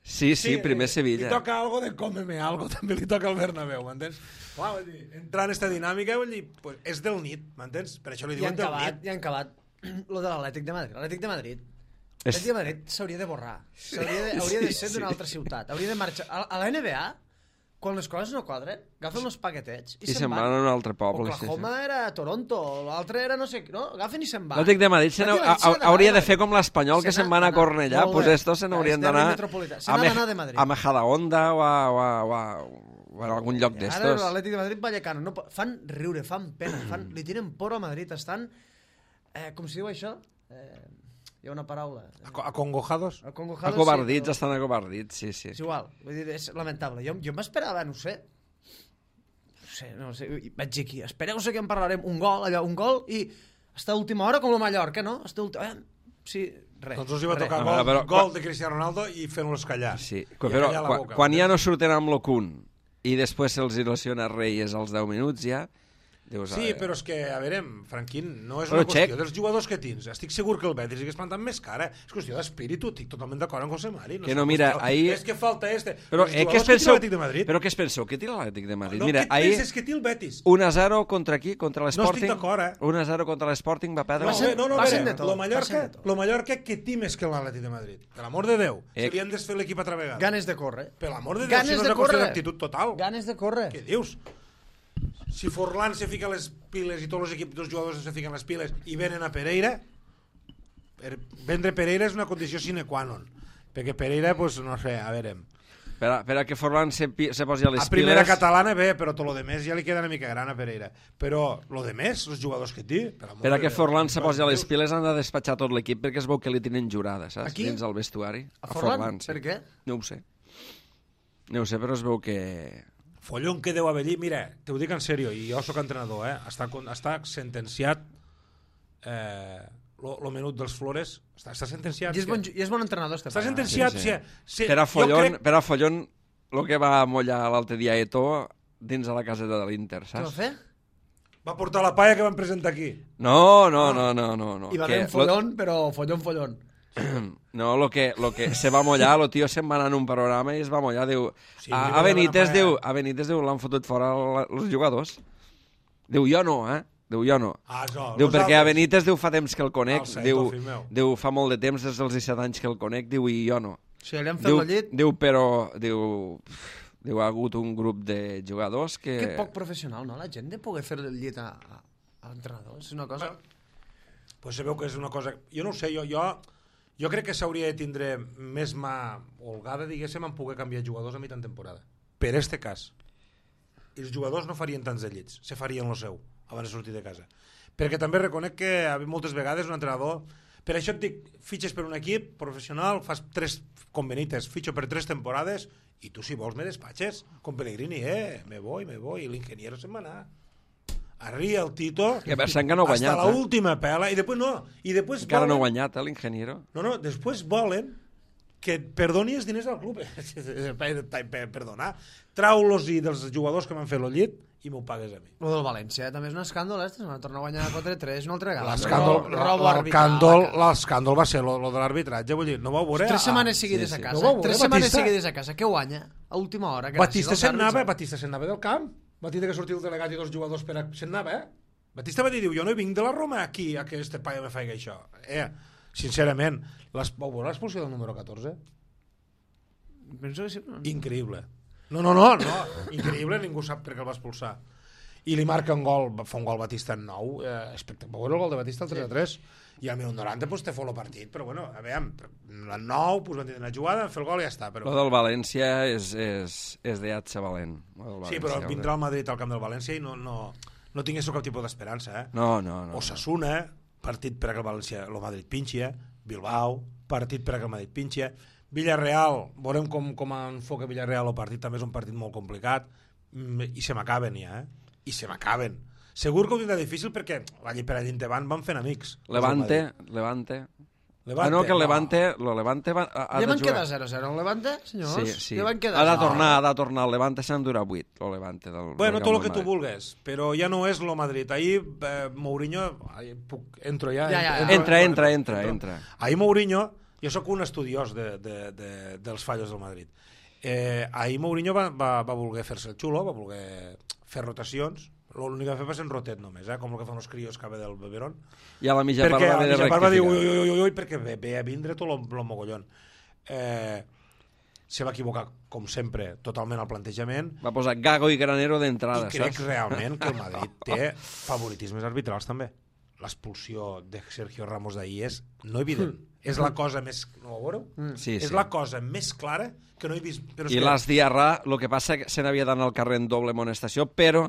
Sí, primer Sevilla. Li toca algo de cómeme algo, també li toca al Bernabéu, m'entens? Clar, vull dir, entrar en aquesta dinàmica, vull dir, pues, és del nit, m'entens? Per això li diuen del nit. I han acabat lo de l'Atlètic de Madrid. L'Atlètic de Madrid s'hauria de borrar. Hauria de ser d'una altra ciutat. Hauria de marxar. A la NBA, quan les coses no quadren, agafen els paquetets i se'n van. A un altre poble. Oklahoma era Toronto, l'altre era no sé... No? Agafen i se'n van. L'Atlètic de Madrid hauria de fer com l'Espanyol, que se'n van a Cornellà. Pues estos se n'haurien d'anar a Majadahonda o a algun lloc d'estos. Ara l'Atlètic de Madrid Vallecano. Fan riure, fan pena, li tiren por a Madrid. Estan... Com si diu això? Hi ha una paraula. Acongojados? Acobardits, estan acobardits, sí. És igual, vull dir, és lamentable. Jo m'esperava, no sé, vaig dir aquí, espereu-se que en parlarem, un gol, i està a última hora com la Mallorca, no? Sí, res. Doncs us hi va tocar gol de Cristiano Ronaldo i fent-los callar. Sí, però quan ja no surten amb l'Ocun i després se'ls il·lusiona Reyes als 10 minuts ja... Sí, però és que, a veure, Franquín, no és una qüestió dels jugadors que tens. Estic segur que el Betis hagués plantat més cara. És qüestió d'espíritu, estic totalment d'acord amb José Mari. Que no, mira, ahir... És que falta este. Però què es penseu? Però què es penseu? Què tira l'Atlètic de Madrid? No, què et penses que té el Betis? 1-0 contra qui? Contra l'Sporting? No estic d'acord, 1-0 contra l'Sporting va perdre... No, a veure, lo Mallorca que té més que l'Atlètic de Madrid. Per l'amor de Déu. Se li han desfet l'equip altra vegada. Ganes de córrer. Per l'amor de Déu, si no és una qüestió d'actitud total. Ganes de córrer. Què dius? Si Forlán se fica les piles i tots els equips dels jugadors se fiquen les piles i venen a Pereira, vendre Pereira és una condició sine qua non, perquè Pereira, pues, no sé, a veure, Per a que Forlán se posi a les A primera piles... catalana bé, però tot lo de més ja li queda una mica gran a Pereira. Però lo de més, els jugadors que té... Per a que Forlán se posi a les piles han de despatxar tot l'equip perquè es veu que li tenen jurada, saps? Aquí? Dins el vestuari. A Forlán? Sí. Per què? No ho sé. No ho sé, però es veu que... Follon que deu haver allí, mira, t'ho dic en sèrio, i jo sóc entrenador, està sentenciat lo menut dels Flores, està sentenciat. I és bon entrenador, Està sentenciat. Sí. Per a Follon, el que va mollar l'altre dia a Eto'o dins de la caseta de l'Inter, Què va saps? fer? Va portar la palla que van presentar aquí. No. I va haver un follón, però follón. No, lo que se va mollar, el tio se'n va anar en un programa i es va mollar, diu... Sí, a Benítez diu, l'han fotut fora els jugadors. Diu, jo no, Diu, jo no. Diu, perquè a Benítez diu fa temps que el conec, diu fa molt de temps, des dels 17 anys que el conec, diu, i jo no. Sí, li han fet la llit. Diu, però, diu, ha hagut un grup de jugadors que... Que poc professional, no? La gent de poder fer el llit a l'entrenador, és una cosa... Pues se veu que és una cosa... Jo no ho sé, jo crec que s'hauria de tindre més mà holgada, diguéssim, en poder canviar jugadors a mitjan temporada. Per este cas. Els jugadors no farien tants de llits, se farien lo seu, abans de sortir de casa. Perquè també reconec que moltes vegades un entrenador... Per això et dic, fitxes per un equip professional, fas 3 com Benítez, fitxo per 3 temporades, i tu si vols me despatxes, com Pellegrini, me voy, i l'ingeniero se'n va anar. Arria el Tito, que pensant que no ha guanyat, hasta l'última pela, i després no. I després encara volen... no ha guanyat, l'ingeniero. No, després volen que perdoni els diners al club. Perdonar. Trau-los-hi dels jugadors que m'han fet el llit i m'ho pagues a mi. Lo del València també és un escàndol, se van tornar a guanyar 4-3 una altra vegada. L'escàndol va ser lo de l'arbitratge, vull dir, no vau veure... 3 setmanes seguides a casa. 3 setmanes seguides a casa. Què guanya? A última hora. Batista se'n anava del camp. Batista que sortia el delegat i 2 jugadors se'n anava, Batista va dir, jo no vinc de la Roma aquí a que este paio me faci això. Sincerament, vau veure l'expulsió del número 14? Penso que sí. Increïble. No, increïble, ningú sap per què el va expulsar. I li marca un gol, fa un gol Batista en 9, espectacular el gol de Batista, el 3-3, i al minut 90 pues, te fot el partit, però bueno, a veure, el 9, pues, van tenir una jugada, fer el gol i ja està. Però... Lo del València és de ser valent. Sí, però vindrà al Madrid al camp del València i no tingués cap tipus d'esperança. No. Osasuna, partit per a que el València, el Madrid pinxia, Bilbao, partit per a que el Madrid pinxia, Villarreal, veurem com enfoca Villarreal el partit, també és un partit molt complicat, i se m'acaben ja, I se m'acaben. Segur que ho tindrà difícil perquè per allà endavant van fent amics. Levante. No, que el Levante va... Ja van quedar 0-0 el Levante, senyors? Sí. Ja van quedar ha de tornar el Levante, s'han durat 8, el Levante. Bueno, tot el que tu vulgues, però ja no és lo Madrid. Ahir Mourinho... Entro ja? Entra. Ahir Mourinho... Jo sóc un estudiós dels fallos del Madrid. Ahir Mourinho va voler fer-se el xulo, va voler fer rotacions. L'únic que va fer va ser en rotet només, com el que fan els crios que ve del beberón. I a la mitja part va haver de rectificar. Perquè va dir ui, perquè ve a vindre tot el mogollón. Se va equivocar, com sempre, totalment al plantejament. Va posar Gago i Granero d'entrada, saps? I crec realment que el Madrid té favoritismes arbitrals també. L'expulsió de Sergio Ramos d'ahir és no evident. És la cosa més... No ho veureu? Sí. És la cosa més clara que no he vist... I l'As Diarra, el que passa que se n'havia d'anar al carrer en doble amonestació, però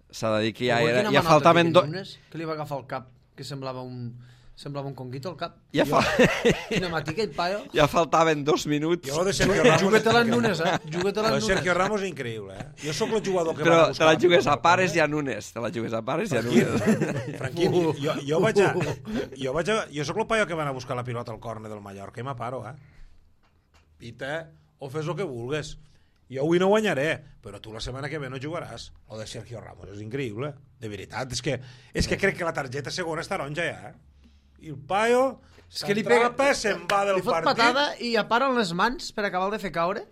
s'ha de dir que ja faltaven... Que li va agafar el cap, que semblava un conguito al cap. Quina matica i paio. Ja faltaven 2 minuts. Juguet-te-la en Nunes, Juguet-te-la en Nunes. Sergio Ramos és increïble, Jo sóc el jugador que va a buscar... Però te la jugues a pares i a Nunes. Tranquil, jo sóc el paio que va anar a buscar la pilota al córner del Mallorca i m'aparo, Pita, o fes el que vulgues. Jo avui no guanyaré, però tu la setmana que ve no jugaràs. O de Sergio Ramos és increïble, de veritat. És que crec que la targeta segona està taronja ja, I el paio s'atrapa, se'n va del partit. Li fot patada i apara les mans per acabar de fer caure.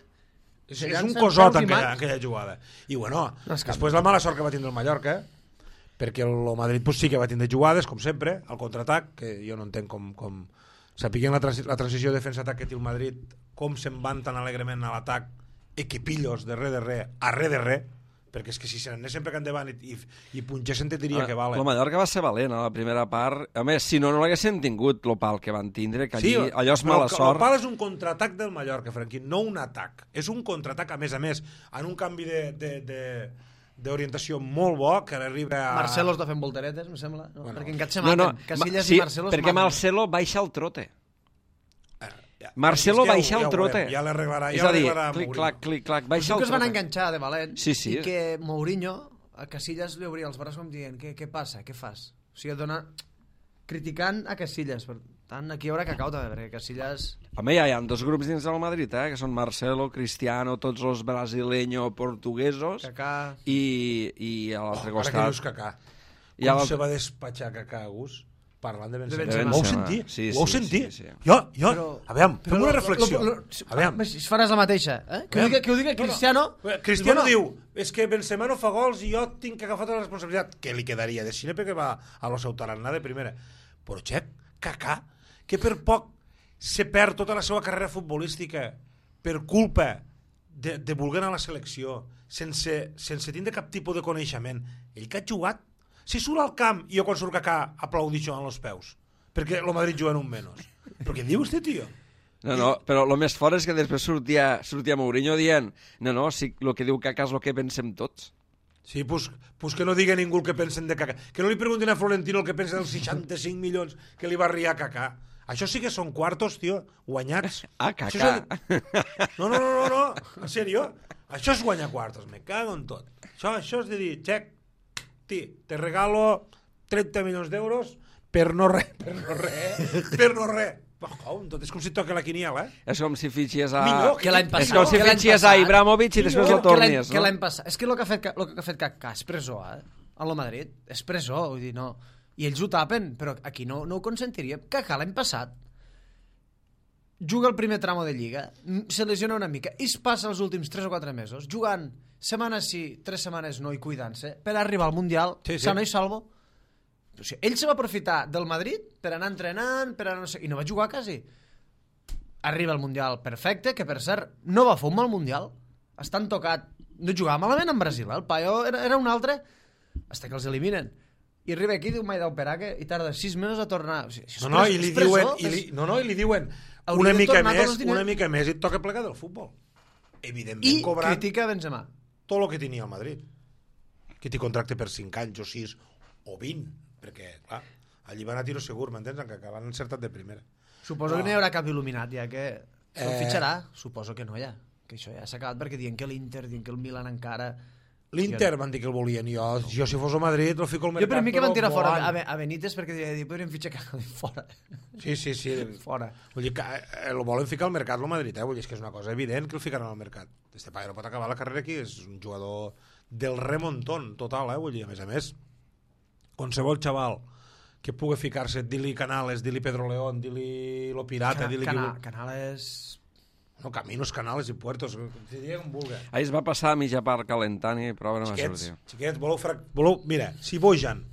És un cosot en aquella jugada. I bueno, després la mala sort que va tindre el Mallorca, perquè el Madrid sí que va tindre jugades, com sempre, al contraatac, que jo no entenc com... Sapiguem la transició defensa-atac que té el Madrid, com se'n van tan alegrement a l'atac, equipillos de res, a res de res, perquè és que si se n'anessin per endavant i punxessin te diria que vale. El Mallorca va ser valent a la primera part. A més, si no l'haguessin tingut el pal que van tindre, que allí, allò és mala sort. El pal és un contraatac del Mallorca, Franquí, no un atac. És un contraatac, a més, en un canvi d'orientació molt bo, que arriba a... Marcelo està fent volteretes, em sembla. No? Bueno. Perquè encara se maten. Casillas i Marcelo es perquè maten. Marcelo baixa el trote. Marcelo baixa el trote. Ja l'arreglarà. És a dir, clic-clac, baixa el que es van trote. enganxar de valent Sí. i que Mourinho a Casillas li obria els braços com dient què passa, què fas? O sigui, criticant a Casillas. Per tant, aquí hi haurà cacau també, perquè Casillas... Home, ja hi ha dos grups dins del Madrid, que són Marcelo, Cristiano, tots els brasileños, portuguesos, Kaká... i a l'altre costat... Ara que dius Kaká. Com se va despatxar Kaká, Gus? Parlant de Benzema. Ho heu sentit? Ho heu sentit? Jo, aviam, fem una reflexió. Aviam. Si faràs la mateixa, Que ho digui Cristiano... Cristiano diu, és que Benzema no fa gols i jo tinc que agafar tota la responsabilitat. Què li quedaria de Xile perquè va a lo seu tarannà de primera? Però, xec, Kaká, que per poc se perd tota la seva carrera futbolística per culpa de voler anar a la selecció sense tindre cap tipus de coneixement. Ell que ha jugat, si surt al camp i jo quan surt Kaká aplaudixo amb els peus perquè el Madrid juga en un menys. Però què diu este tio? No, però el més fort és que després sortia Mourinho dient sí, el que diu Kaká és el que pensem tots. Sí, pues que no digui ningú el que pensen de Kaká. Que no li preguntin a Florentino el que pensa dels 65 milions que li va arribar a Kaká. Això sí que són quartos, tio, guanyats. Kaká. No, en sèrio. Això és guanyar quartos, me cago en tot. Això és de dir, xec, te regalo 30 milions d'euros per no res. Tot és com si toca la quiniela, És com si fitxies a... És com si fitxies a Ibrahimovic i després el tornies, no? Que l'any passat... És que el que ha fet Kaká és presó, a lo Madrid. És presó, vull dir, no... I ells ho tapen, però aquí no ho consentiríem. Kaká l'any passat juga el primer tramo de Lliga, se lesiona una mica i es passa els últims 3 o 4 mesos jugant setmanes sí, 3 setmanes no i cuidant-se per arribar al Mundial, sano i salvo. O sigui, ell se va aprofitar del Madrid per anar entrenant, per anar no sé, i no va jugar quasi. Arriba al Mundial perfecte, que per cert no va fer un mal Mundial, estan tocat, no jugava malament en Brasil, el paio era un altre, fins que els eliminen. I arriba aquí, diu, m'he d'operar, i tarda 6 mesos a tornar. O sigui, i li diuen una mica més i et toca plegar del futbol. Evidentment, cobrant... I critica Benzema. Tot el que tenia al Madrid. Que t'hi contracte per 5 anys o 6 o 20, perquè, clar, allí van a tiro segur, m'entens? Que van encertat de primera. Suposo que no hi haurà cap il·luminat, ja que el fitxarà. Suposo que no hi ha. Que això ja s'ha acabat perquè diuen que l'Inter, diuen que el Milan encara... L'Inter van dir que el volien. Jo si fos el Madrid, el fico al mercat. Jo per mi que van tirar fora a Benítez perquè podrien fitxar fora. Sí. Fora. Vull dir que el volen ficar al mercat el Madrid, Vull dir que és una cosa evident que el ficaran al mercat. Este paio no pot acabar la carrera aquí, és un jugador del remontón total, Vull dir, a més, qualsevol xaval que pugui ficar-se, dir-li Canales, dir-li Pedro León, dir-li Lo Pirata, dir-li... Canales... No, Caminos, Canales i Puertos, que digui com vulgui. Ahir es va passar a mitja part calentant i prova no va sortir. Xiquets, voleu... Mira, si Bojan,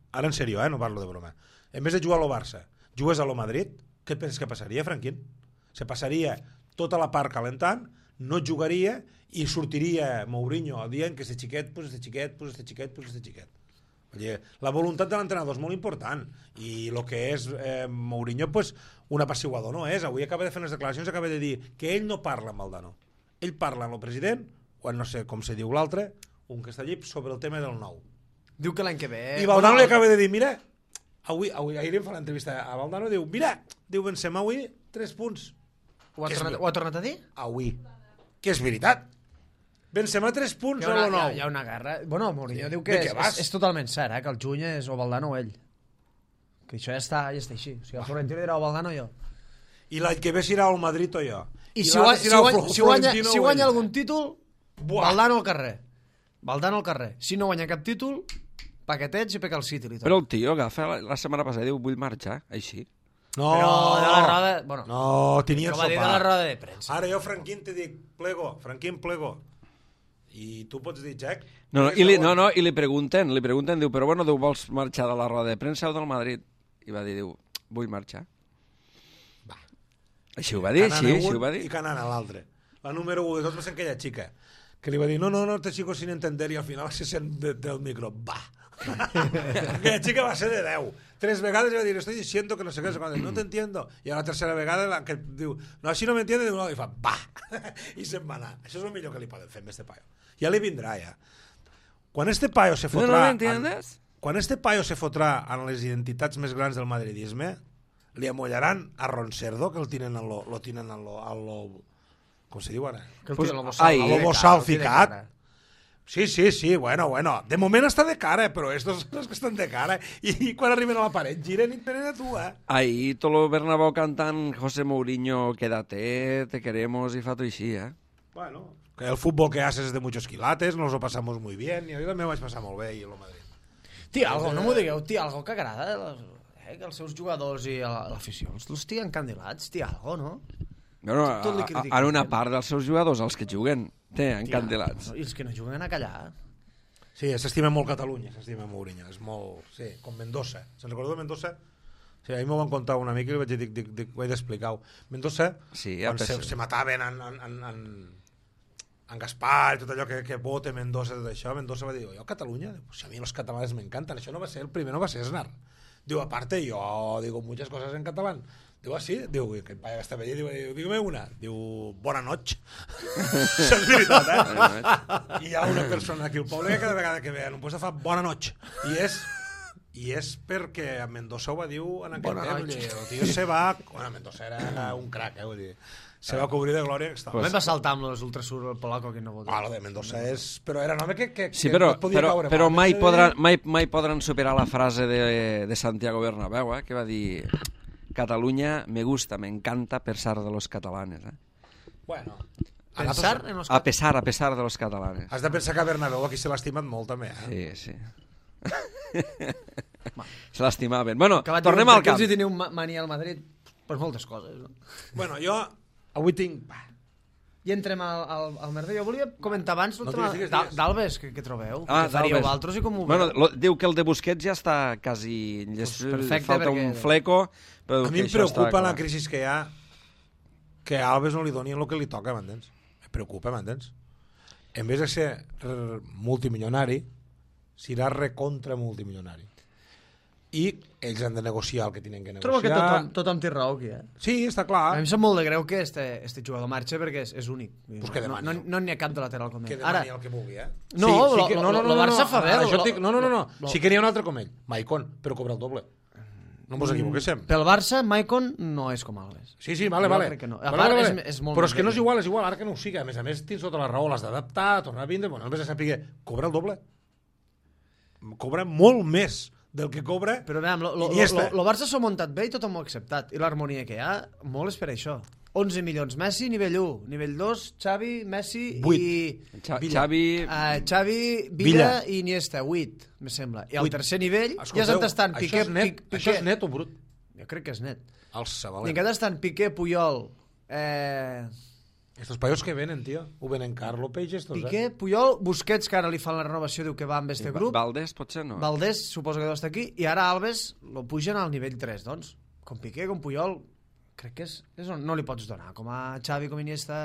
ara en sèrio, no parlo de broma, en vez de jugar a lo Barça, jugues a lo Madrid, què penses que passaria, Franquín? Se passaria tota la part calentant, no jugaria i sortiria Mourinho dient que este xiquet, pues este xiquet. La voluntat de l'entrenador és molt important i el que és Mourinho, pues, un apaciguador no és. Avui acaba de fer unes declaracions, acaba de dir que ell no parla amb Valdano, ell parla amb el president o no sé com se diu l'altre, un que està allí, sobre el tema del nou. Diu que l'any que ve... I Valdano li acaba de dir, mira, ahir em fa l'entrevista a Valdano, diu, mira, diu Benzema avui 3 punts. Ho ha tornat a dir? Avui. Que és veritat. Benzema 3 punts o lo nou. Hi ha una guerra. Bueno, Mourinho diu que és totalment cert, que el juny és o Valdano o ell. Que això ja està així. O sigui, el Florentino dirà o Valdano o jo. I l'any que ve serà el Madrid o jo. I si guanya algun títol, Valdano al carrer. Si no guanya cap títol, paquetets i peca el City. Però el tio agafa la setmana passada i diu, vull marxar, així. No, però de la roda... Bueno, no, tenia el sopar. Dir de la roda de premsa. Ara jo, Franquín, te dic, Franquín, plego. I tu pots dir, Jack? I li pregunten, diu, però bueno, diu, vols marxar de la roda de premsa o del Madrid? I va dir, diu, vull marxar. Va. Així ho va dir, així ho va dir. I canant a l'altre. La número 1 de tots va ser aquella xica. que li va dir, no, te sigo sin entender, i al final se sent del micro, va. Aquella xica va ser de 10. 3 vegades va dir, estoy diciendo que no sé què, no te entiendo. I a la tercera vegada que diu, no, així no m'entiende, i fa, va. I se'n va anar. Això és el millor que li poden fer amb este paio. Ja li vindrà, ja. Quan este paio se fotrà... No m'entiendes? Quan este paio se fotrà en les identitats més grans del madridisme, li amollaran a Roncerdo, que el tenen en lo com se diu ara? Pues, A lo salficat. Sí, bueno. De moment està de cara, però estos són els que estan de cara. I quan arriben a la paret, giren i tenen a tu, Ahí Tolo Bernabéu cantant José Mourinho, quédate, te queremos, i fa tot així, Bueno, que el fútbol que haces es de muchos quilates, nos lo pasamos muy bien, i jo també ho vaig passar molt bé, i el Madrid. Algo, no m'ho digueu, algo que agrada, que els seus jugadors i l'afició els tiguen encandilats, algo, no? Bueno, en una part dels seus jugadors, els que juguen, encandilats. I els que no juguen a callar. Sí, s'estima molt Catalunya, s'estima Mourinho, és molt... Sí, com Mendoza. Se'n recordeu de Mendoza? Sí, ahir m'ho van contar una mica i li vaig dir, ho he d'explicar-ho. Mendoza, sí, quan se mataven en Gaspar i tot allò que vote Mendoza, tot això, Mendoza va dir, jo a Catalunya, si a mi els catalans m'encanten, això no va ser el primer, no va ser Aznar. Diu, aparte, yo digo muchas cosas en catalán. Digo, así, diu, que el paio està veient, diu, dígame una. Diu, bona noche. Això és veritat, I hi ha una persona aquí al poble que cada vegada que ve no posa fa bona noche. I és perquè a Mendoza ho va dir en aquell temps. El tio se va... Bueno, Mendoza era un crac, vull dir. Se va cobrir de glòria. També va saltar amb los ultrasur el polaco que no vol dir. Lo de Mendoza és... Però era un home que sí, però mai podran superar la frase de Santiago Bernabéu, que va dir... Cataluña me gusta, me encanta a pesar de los catalanes. Bueno, a pesar de los catalanes. Has de pensar que a Bernabéu aquí se l'ha estimat molt també. Sí. Se l'estimaven. Bueno, tornem al camp. Perquè ells hi teniu mania al Madrid per moltes coses. No? Bueno, jo avui tinc... I entrem al merder. Jo volia comentar abans el tema d'Albes, que trobeu. Que faríeu altres i com ho veu. Bueno, diu que el de Busquets ja està quasi... Falta un fleco. A mi em preocupa la crisi que hi ha que a Alves no li donin el que li toca, m'entens? Em preocupa, m'entens? En vez de ser multimilionari, serà recontra multimilionari. I ells han de negociar el que tenen que negociar. Trobo que tothom té raó aquí, Sí, està clar. A mi em sap molt de greu que este jugador marxa perquè és únic. Pues que demani. No n'hi ha cap de lateral com ell. Que demani el que vulgui, No, el Barça fa bé. No. Sí que n'hi ha un altre com ell, Maicon, però cobra el doble. No ens equivoquéssim. Pel Barça, Maicon no és com Alves. Sí, vale. No. És molt però és que no és igual, ara que no ho sigui. A més, tens tota la raó, l'has d'adaptar, tornar a vindre, bueno, només a saber, cobra el doble. Cobra molt més del que cobra Iniesta. El Barça s'ho ha muntat bé i tothom ho ha acceptat. I l'harmonia que hi ha, molt és per això. 11 milions. Messi, nivell 1. Nivell 2, Xavi, Messi 8. I... Xavi, Villa i Iniesta, 8, me sembla. I al tercer nivell ja estan tastant Piqué... Això és net o brut? Jo crec que és net. El Sabalet. I encara estan Piqué, Puyol... Estos paios que venen, tio. Ho venen Carlo Peix, estos, Piqué, Puyol, Busquets, que ara li fan la renovació, diu que va amb este grup. Valdés, potser no. Valdés, suposo que deu estar aquí. I ara Alves lo pugen al nivell 3, doncs. Com Piqué, com Puyol, crec que és on no li pots donar. Com a Xavi, com Iniesta...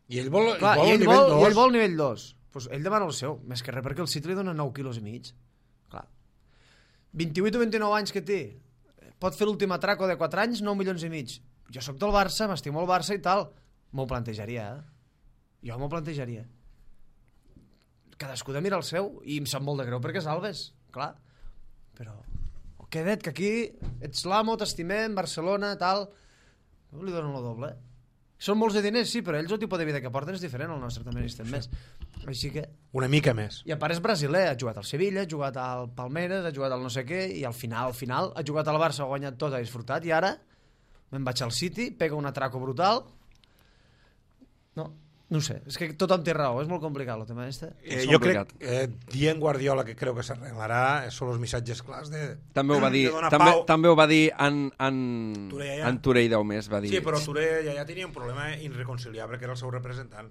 I ell vol el nivell 2. I ell vol nivell 2. Pues ell demana el seu, més que res, perquè el City li dona 9 quilos i mig. Clar. 28 o 29 anys que té. Pot fer l'últim atraco de 4 anys, 9 milions i mig. Jo sóc del Barça, m'estimo el Barça i tal. M'ho plantejaria, Jo m'ho plantejaria. Cadascú de mirar el seu, i em sap molt de greu perquè és Alves, clar. Però, queda't, que aquí ets l'amo, t'estimem, Barcelona, tal... No li donen el doble. Són molts de diners, sí, però ells el tipus de vida que porten és diferent, el nostre també n'estem més. Així que... Una mica més. I a part és brasiler, ha jugat al Sevilla, ha jugat al Palmeiras, ha jugat al no sé què, i al final ha jugat al Barça, ha guanyat tot, ha disfrutat, i ara me'n vaig al City, pega un atraco brutal... No ho sé, és que tothom té raó, és molt complicat el tema este. Jo crec, dient Guardiola que creu que s'arreglarà, són els missatges clars de... També ho va dir, també ho va dir en Touré i Daumés, va dir... Sí, però Touré ja tenia un problema irreconciliable, que era el seu representant.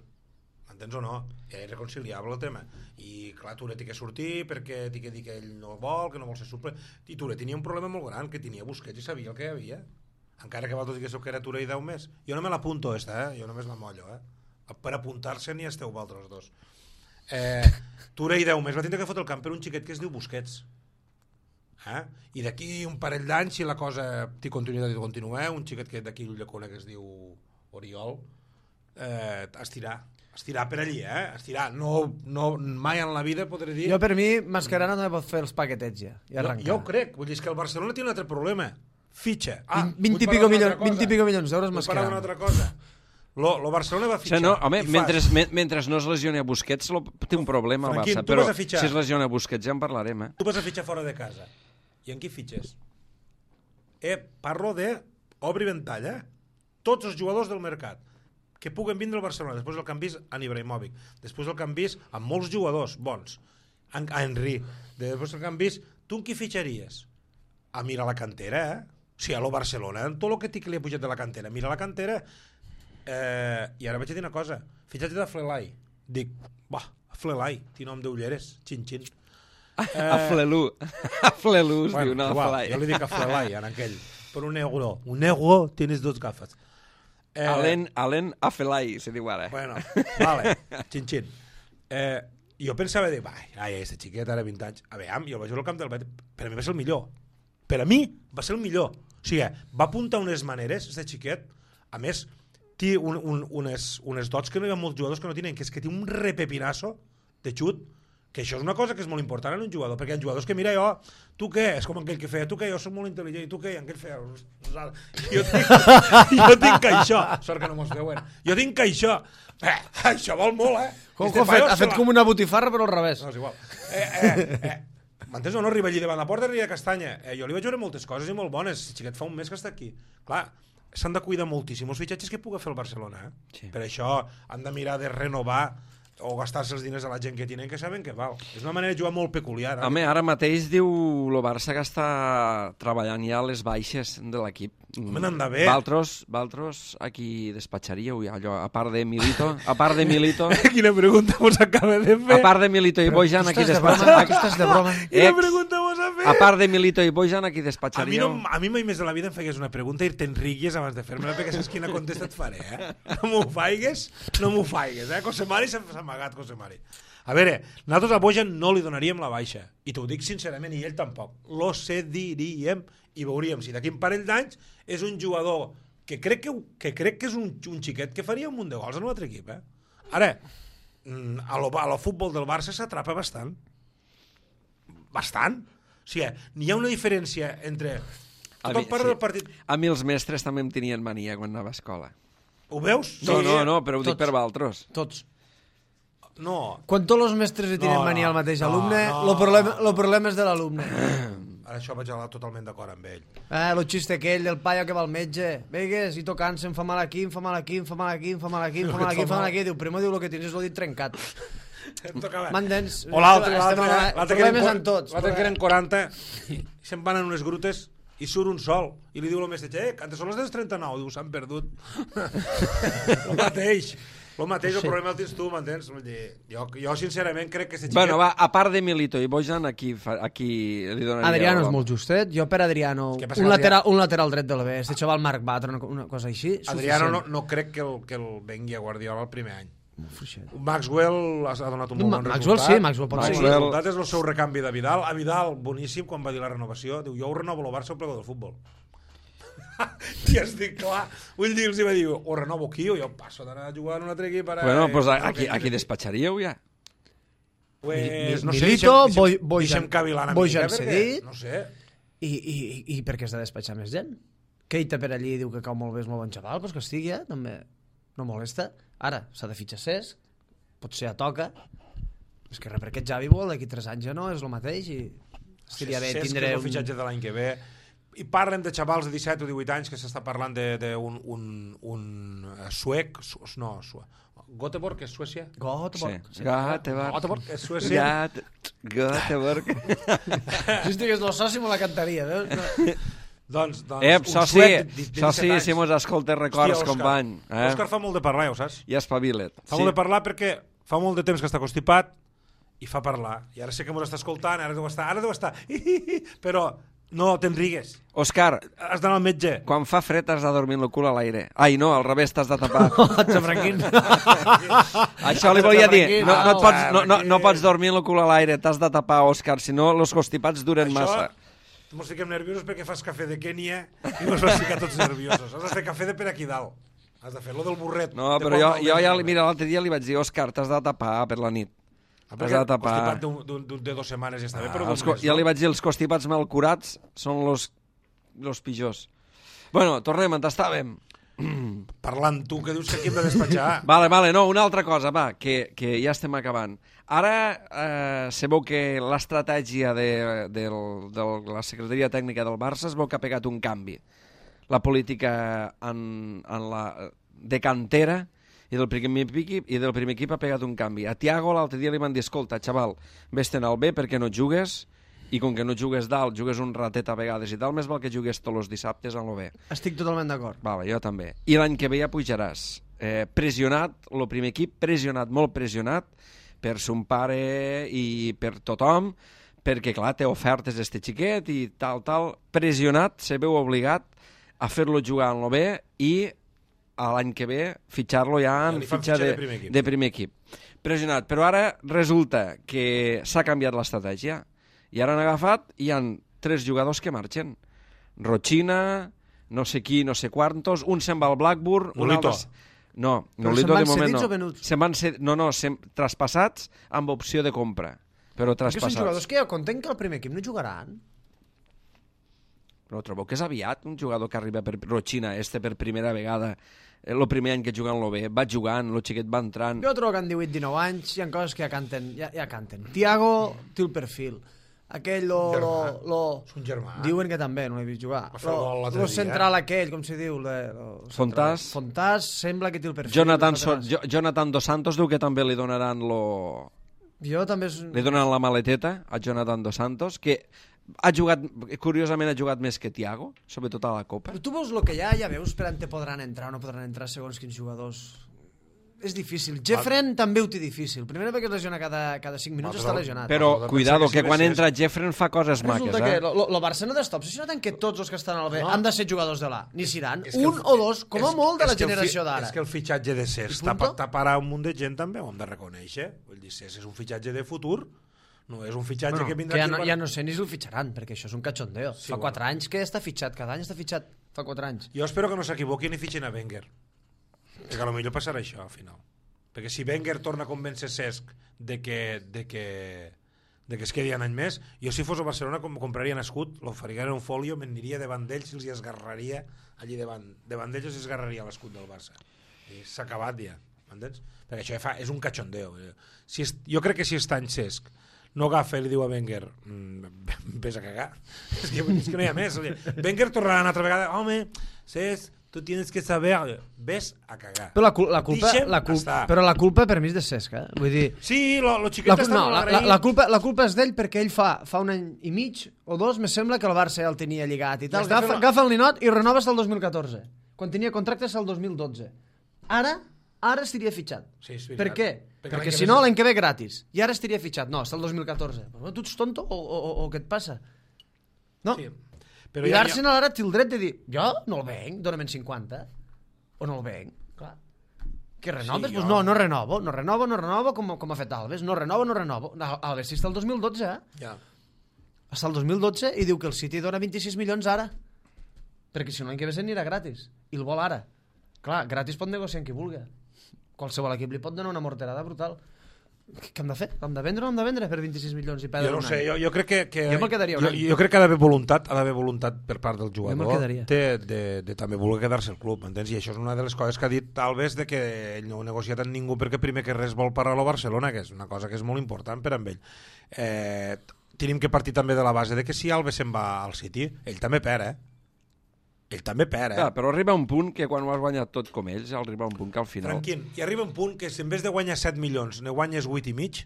M'entens o no? Ja és irreconciliable el tema. I clar, Touré té que sortir perquè té que dir que ell no vol, que no vol ser suple. I Touré tenia un problema molt gran, que tenia Busquets i sabia el que hi havia. Encara que vosaltres diguéssiu que era Touré i Daumés. Jo no me l'apunto, jo només la mollo, per apuntar-se ni esteu vosaltres dos. Tura i 10 més va tindre que fotre el camp per un xiquet que es diu Busquets. I d'aquí un parell d'anys, si la cosa té continuïtat i continua, un xiquet que d'aquí el llacona que es diu Oriol, estirar per allí, estirar. No, mai en la vida podré dir... Jo, per mi, Mascherano també pot fer els paquetets ja, i arrencar. Jo ho crec, vull dir, que el Barcelona té un altre problema. Fitxa. 20 i pico milions d'euros Mascherano. Mascherano. Una altra cosa. Lo Barcelona va fitxar. O sigui, no, home, mentre no es lesioni a Busquets té un problema al Barça, però si es lesiona a Busquets ja en parlarem. Tu vas a fitxar fora de casa. I en qui fitxes? Parlo de obri ventall, tots els jugadors del mercat que puguen vindre al Barcelona, després del que han vist en Ibrahimovic, després del que han vist amb molts jugadors bons, a Henry, després del que han vist, tu en qui fitxaries? A mirar la cantera, O sigui, a lo Barcelona, en tot el que li ha pujat de la cantera, mira la cantera, i ara vaig a dir una cosa, fitxatge de Flelai. Dic, Flelai, té nom d'ulleres, xin-xin. A Flelu es diu, no a Flelai. Jo li dic a Flelai, en aquell, per un negro, tienes dos gafes. Alen Afelai, se diu ara. Bueno, vale, xin-xin. Jo pensava dir, aquesta xiqueta ara 20 anys, jo vaig al camp del Betis, per a mi va ser el millor. Per a mi va ser el millor. O sigui, va apuntar unes maneres, aquest xiquet, a més, té unes dots que no hi ha molts jugadors que no tenen, que és que té un repepinasso de xut, que això és una cosa que és molt important en un jugador, perquè hi ha jugadors que, mira, tu què? És com aquell que feia, tu què? Jo soc molt intel·ligent, i tu què? I aquell feia... Jo tinc això. Sort que no mos veuen. Jo tinc això. Això vol molt, Ha fet com una botifarra, però al revés. No, és igual. M'entens o no? Arriba allí davant la porta, arriba a Castanya. Jo li vaig veure moltes coses i molt bones. Si xiquet fa un mes que està aquí. Clar, s'han de cuidar moltíssim els fitxatges que puga fer el Barcelona. Sí. Per això han de mirar de renovar o gastar-se els diners a la gent que tenen, que saben que val. És una manera de jugar molt peculiar. Home, ara mateix diu el Barça que està treballant ja les baixes de l'equip. Home, n'han d'haver. Valtros, aquí despatxaríeu allò, a part de Milito... Quina pregunta mos acaba de fer? A part de Milito i Bojan, aquí despatxaríeu. Tu estàs de broma. Quina pregunta mos ha fet? A part de Milito i Bojan, aquí despatxaríeu. A mi mai més de la vida em fegués una pregunta i te'n rigues abans de fer-me-la, perquè saps quina contesta et faré, No m'ho faigues, Cosemari s'ha amagat, Cosemari. A veure, nosaltres a Bojan no li donaríem la baixa, i t'ho dic sincerament, i ell tampoc. Lo cediríem i veuríem si d'aquí un parell d'anys és un jugador que crec que és un xiquet que faria un munt de gols en un altre equip. Ara, a lo futbol del Barça s'atrapa bastant. Bastant. O sigui, n'hi ha una diferència entre... Tothom parla del partit... A mi els mestres també em tenien mania quan anava a escola. Ho veus? No, però ho dic per Valtros. Tots. No. Quan tots els mestres li tenen mania al mateix alumne, el problema és de l'alumne. Ara això vaig anar totalment d'acord amb ell. Lo xiste aquell del paio que va al metge. Vegues, i tocant-se, em fa mal aquí, em fa mal aquí, em fa mal aquí, em fa mal aquí, em fa mal aquí, em fa mal aquí. Diu, primo, diu, el que tens és el dit trencat. M'entens? O l'altre problemes en tots. L'altre que eren 40 i se'n van en unes grutes i surt un sol i li diu al mestre, antes són les dels 39, diu, s'han perdut. El mateix, el problema el tens tu, m'entens? Jo sincerament crec que... Bueno, va, a part de Milito i Bojan, aquí li donaria... Adriano és molt justet, jo per Adriano, un lateral dret del B, este xaval Marc Batra, una cosa així, Adriano no crec que el vengui a Guardiola el primer any. Maxwell ha donat un bon resultat. Maxwell sí, Maxwell pot ser. El resultat és el seu recanvi de Vidal. A Vidal, boníssim, quan va dir la renovació, diu, jo ho renovo el Barça al plegó del futbol. I estic clar, vull dir, els va dir, o renovo aquí o jo passo d'anar a jugar en un altre equip ara... Bueno, doncs aquí despatxaríeu ja. Pues, no sé, Milito, deixem cavilant a Bojan cedit, no sé. I per què has de despatxar més gent? Keita per allí diu que cau molt bé, és molt bon xaval, doncs que estigui, també no molesta. Ara, s'ha de fitxar Cesc, potser a toca, és que per aquest Xavi vol, d'aquí 3 anys ja no, és el mateix, i estaria bé tindre... Cesc és el fitxatge de l'any que ve. I parlen de xavals de 17 o 18 anys que s'està parlant d'un suec, no, Göteborg és Suècia? Göteborg és Suècia. Göteborg. Si estigués el soci me la cantaria, veus? Doncs soci, si mos escoltes records, company. Òscar fa molt de parlar, ja ho saps? I espavila't. Fa molt de parlar perquè fa molt de temps que està constipat i fa parlar. I ara sé que mos està escoltant, ara deu estar. Però No, te'n rigues. Òscar, Has d'anar al metge. quan fa fred has de dormir amb el cul a l'aire. Ai, no, al revés, t'has de tapar. Xafranquín. Això li volia dir. Xafranquín. No pots dormir amb el cul a l'aire, t'has de tapar, Òscar, si no els constipats duren massa. Mos fiquem nerviosos perquè fas cafè de Kènia i mos vas ficar tots nerviosos. Has de fer cafè de per aquí dalt. Has de fer lo del burret. No, però jo ja, mira, l'altre dia li vaig dir, Òscar, t'has de tapar per la nit. T'has de tapar. Constipat de 2 setmanes ja està bé, però ja li vaig dir, els constipats mal curats són los pitjors. Bueno, tornem, on estàvem? Parlant tu, que dius que aquí hem de despatxar. Vale, no, una altra cosa, va, que ja estem acabant. Ara sabeu que l'estratègia de la Secretaria Tècnica del Barça es veu que ha pegat un canvi. La política de cantera i del primer equip ha pegat un canvi. A Thiago l'altre dia li van dir, escolta, xaval, vés-te'n al B perquè no jugues, i com que no jugues dalt, jugues un ratet a vegades i tal, més val que jugues tots els dissabtes en el B. Estic totalment d'acord. Vale, jo també. I l'any que ve ja pujaràs. Pressionat, el primer equip, molt pressionat, per son pare i per tothom, perquè, clar, té ofertes d'este xiquet i tal, pressionat, se veu obligat a fer-lo jugar en el B i l'any que ve fitxar-lo ja en fitxa de primer equip. Pressionat, però ara resulta que s'ha canviat l'estratègia i ara han agafat i hi ha 3 jugadors que marxen. Rochina, no sé qui, no sé quantos, un se'n va al Blackburn, un altre... No, Nolito de moment no. Se'n van ser, traspassats amb opció de compra, però traspassats. Perquè són jugadors que jo content que al primer equip no jugaran. Però trobo que és aviat un jugador que arriba per Rochina, per primera vegada, el primer any que juga en l'OB, va jugant, el xiquet va entrant... Jo trobo que en 18-19 anys hi ha coses que ja canten. Thiago té el perfil. Aquell és un germà. Diuen que també, no l'he vist jugar. Lo central aquell, com se diu? Fontàs. Fontàs sembla que té el perfil. Jonathan Dos Santos diu que també li donaran li donaran la maleteta a Jonathan Dos Santos, que curiosament ha jugat més que Thiago, sobretot a la Copa. Però tu veus el que ja veus per on te podran entrar o no podran entrar segons quins jugadors. És difícil. Jeffren també ho té difícil. Primer perquè es lesiona cada 5 minuts, està lesionat. Però cuidado, que quan entra Jeffren fa coses maques. Resulta que el Barça no d'està obsessionat en que tots els que estan al B han de ser jugadors de l'A. Ni seran un o dos, com a molt, de la generació d'ara. És que el fitxatge de Cesc taparà un munt de gent també, ho hem de reconèixer. Vull dir, Cesc és un fitxatge de futur, no és un fitxatge que vindrà... Ja no sé ni si el fitxaran, perquè això és un cachondeo. Fa 4 anys que està fitxat, cada any està fitxat. Fa 4 anys. Jo espero que no s'equivoquin i fitxin a Wenger. Perquè potser passarà això, al final. Perquè si Wenger torna a convèncer Cesc de que es quedi un any més, jo si fos a Barcelona compraria un escut, l'oferia en un folio, m'aniria davant d'ells i els esgarraria allí davant d'ells i esgarraria l'escut del Barça. I s'ha acabat ja, m'entens? Perquè això ja és un cachondeo. Jo crec que si està en Cesc no agafa i li diu a Wenger vés a cagar, és que no hi ha més. Wenger tornarà una altra vegada, home, Cesc, tu tienes que saber, ves a cagar. Però la culpa per mi és de Cesc, eh? Vull dir... Sí, lo xiquet està molt agraït. La culpa és d'ell perquè ell fa un any i mig o 2, me sembla que el Barça ja el tenia lligat i tal. Agafa el ninot i renova el 2014, quan tenia contractes el 2012. Ara estaria fitxat. Sí, per què? Perquè si no, l'any que ve gratis. I ara estaria fitxat. No, està el 2014. Però tu ets tonto o què et passa? No. Sí. Però i l'Arsenal ara té el dret de dir jo no el venc, dóna'm 50 o no el venc, clar. Que renoves? Sí, no renovo com ha fet Alves, no renovo. Alves sí està el 2012, Ja. Està el 2012 i diu que el City dona 26 milions ara, perquè si no l'any que ve s'anirà gratis i el vol ara. Clar, gratis pot negociar amb qui vulgui, qualsevol equip li pot donar una morterada brutal. Què hem de fer? Hem de vendre per 26 milions i perdre un any? Jo no sé, jo crec que jo me'l quedaria un any. Jo crec que ha d'haver voluntat per part del jugador de també voler quedar-se al club, entens? I això és una de les coses que ha dit Alves, de que ell no ha negociat amb ningú perquè primer que res vol parar a Barcelona, que és una cosa que és molt important per amb ell. Tenim que partir també de la base de que si Alves se'n va al City, ell també perd, Ell també perd, Clar, però arriba un punt que quan ho has guanyat tot com ells, arriba un punt que al final... Tranquil, i arriba un punt que si en vez de guanyar 7 milions ne guanyes 8 i mig,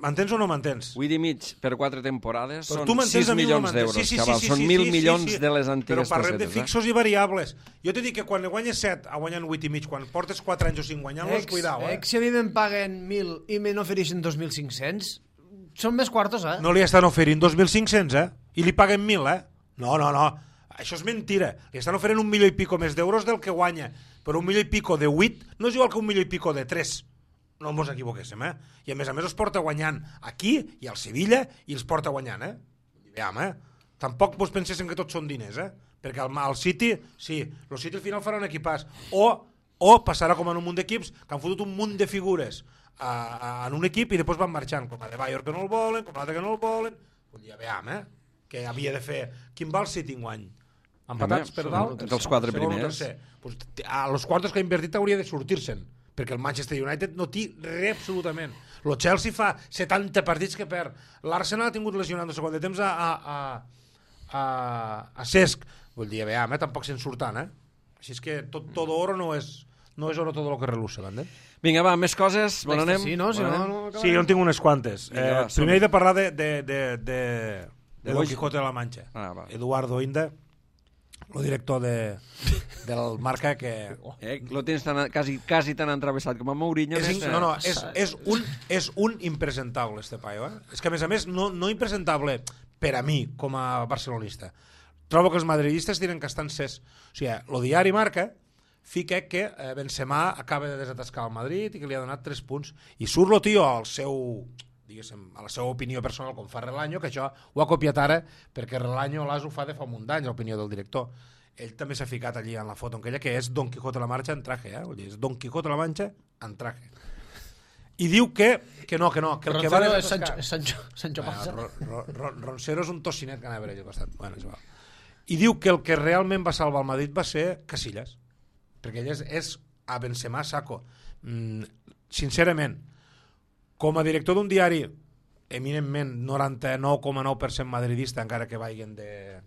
m'entens o no m'entens? 8 i mig per 4 temporades són 6 milions d'euros, cabal, són 1.000 milions de les antigues pessetes. Però parlem de fixos i variables. Jo t'he dit que quan ne guanyes 7 a guanyant 8 i mig, quan portes 4 anys o 5 guanyant-los, cuidao, Si a mi me'n paguen 1.000 i me n'ofereixen 2.500... són més quartos, No li estan oferint 2.500, I li paguen 1.000, No. Això és mentira. Li estan oferint 1 milió i pico més d'euros del que guanya. Però 1 milió i pico de 8 no és igual que 1 milió i pico de 3. No ens equivoquéssim, I a més els porta guanyant aquí i al Sevilla i els porta guanyant, Veiem, Tampoc vos penséssim que tots són diners, Perquè al City, sí, el City al final farà un equipàs. O passarà com en un munt d'equips que han fotut un munt de figures en un equip i després van marxant, com la de Bayern que no el volen, com l'altre que no el volen. Ja veiem, que havia de fer... Quin va el City enguany? Empatats per dalt? Dels 4 primers. Pues, a los quartos que ha invertit hauria de sortir-se'n, perquè el Manchester United no té res absolutament. El Chelsea fa 70 partits que perd. L'Arsenal ha tingut lesionat no sé quant de temps a Cesc. Vull dir, veiem, tampoc se'n surtant, Així és que todo oro no és oro todo lo que reluce, ¿vale? Vinga, va, més coses. On anem? Sí, no? Sí, jo en tinc unes quantes. Primer he de parlar de Don Quijote de la Mancha. Eduardo Inda, el director del Marca, que... Lo tens quasi tan entravessat com a Mourinho. És un impresentable, este paio. És que, a més, no impresentable per a mi, com a barcelonista. Trobo que els madridistes tenen que estar encès. O sigui, el diari Marca fica que Benzema acaba de desatascar el Madrid i que li ha donat 3 punts. I surt el tio al seu... a la seva opinió personal, com fa Relaño, que això ho ha copiat ara perquè Relaño ho fa de fa un munt d'anys, l'opinió del director. Ell també s'ha ficat allí en la foto en aquella, que és Don Quijote de la Mancha en traje, Vull dir, és Don Quijote de la Mancha en traje. I diu que no, que el que va desatascar... Sancho Panza. Roncero és un tocinet que anava per allà al costat. Bueno, és igual. I diu que el que realment va salvar el Madrid va ser Casillas, perquè ell és a Benzema saco. Sincerament, com a director d'un diari eminentment 99,9% madridista, encara que vagin de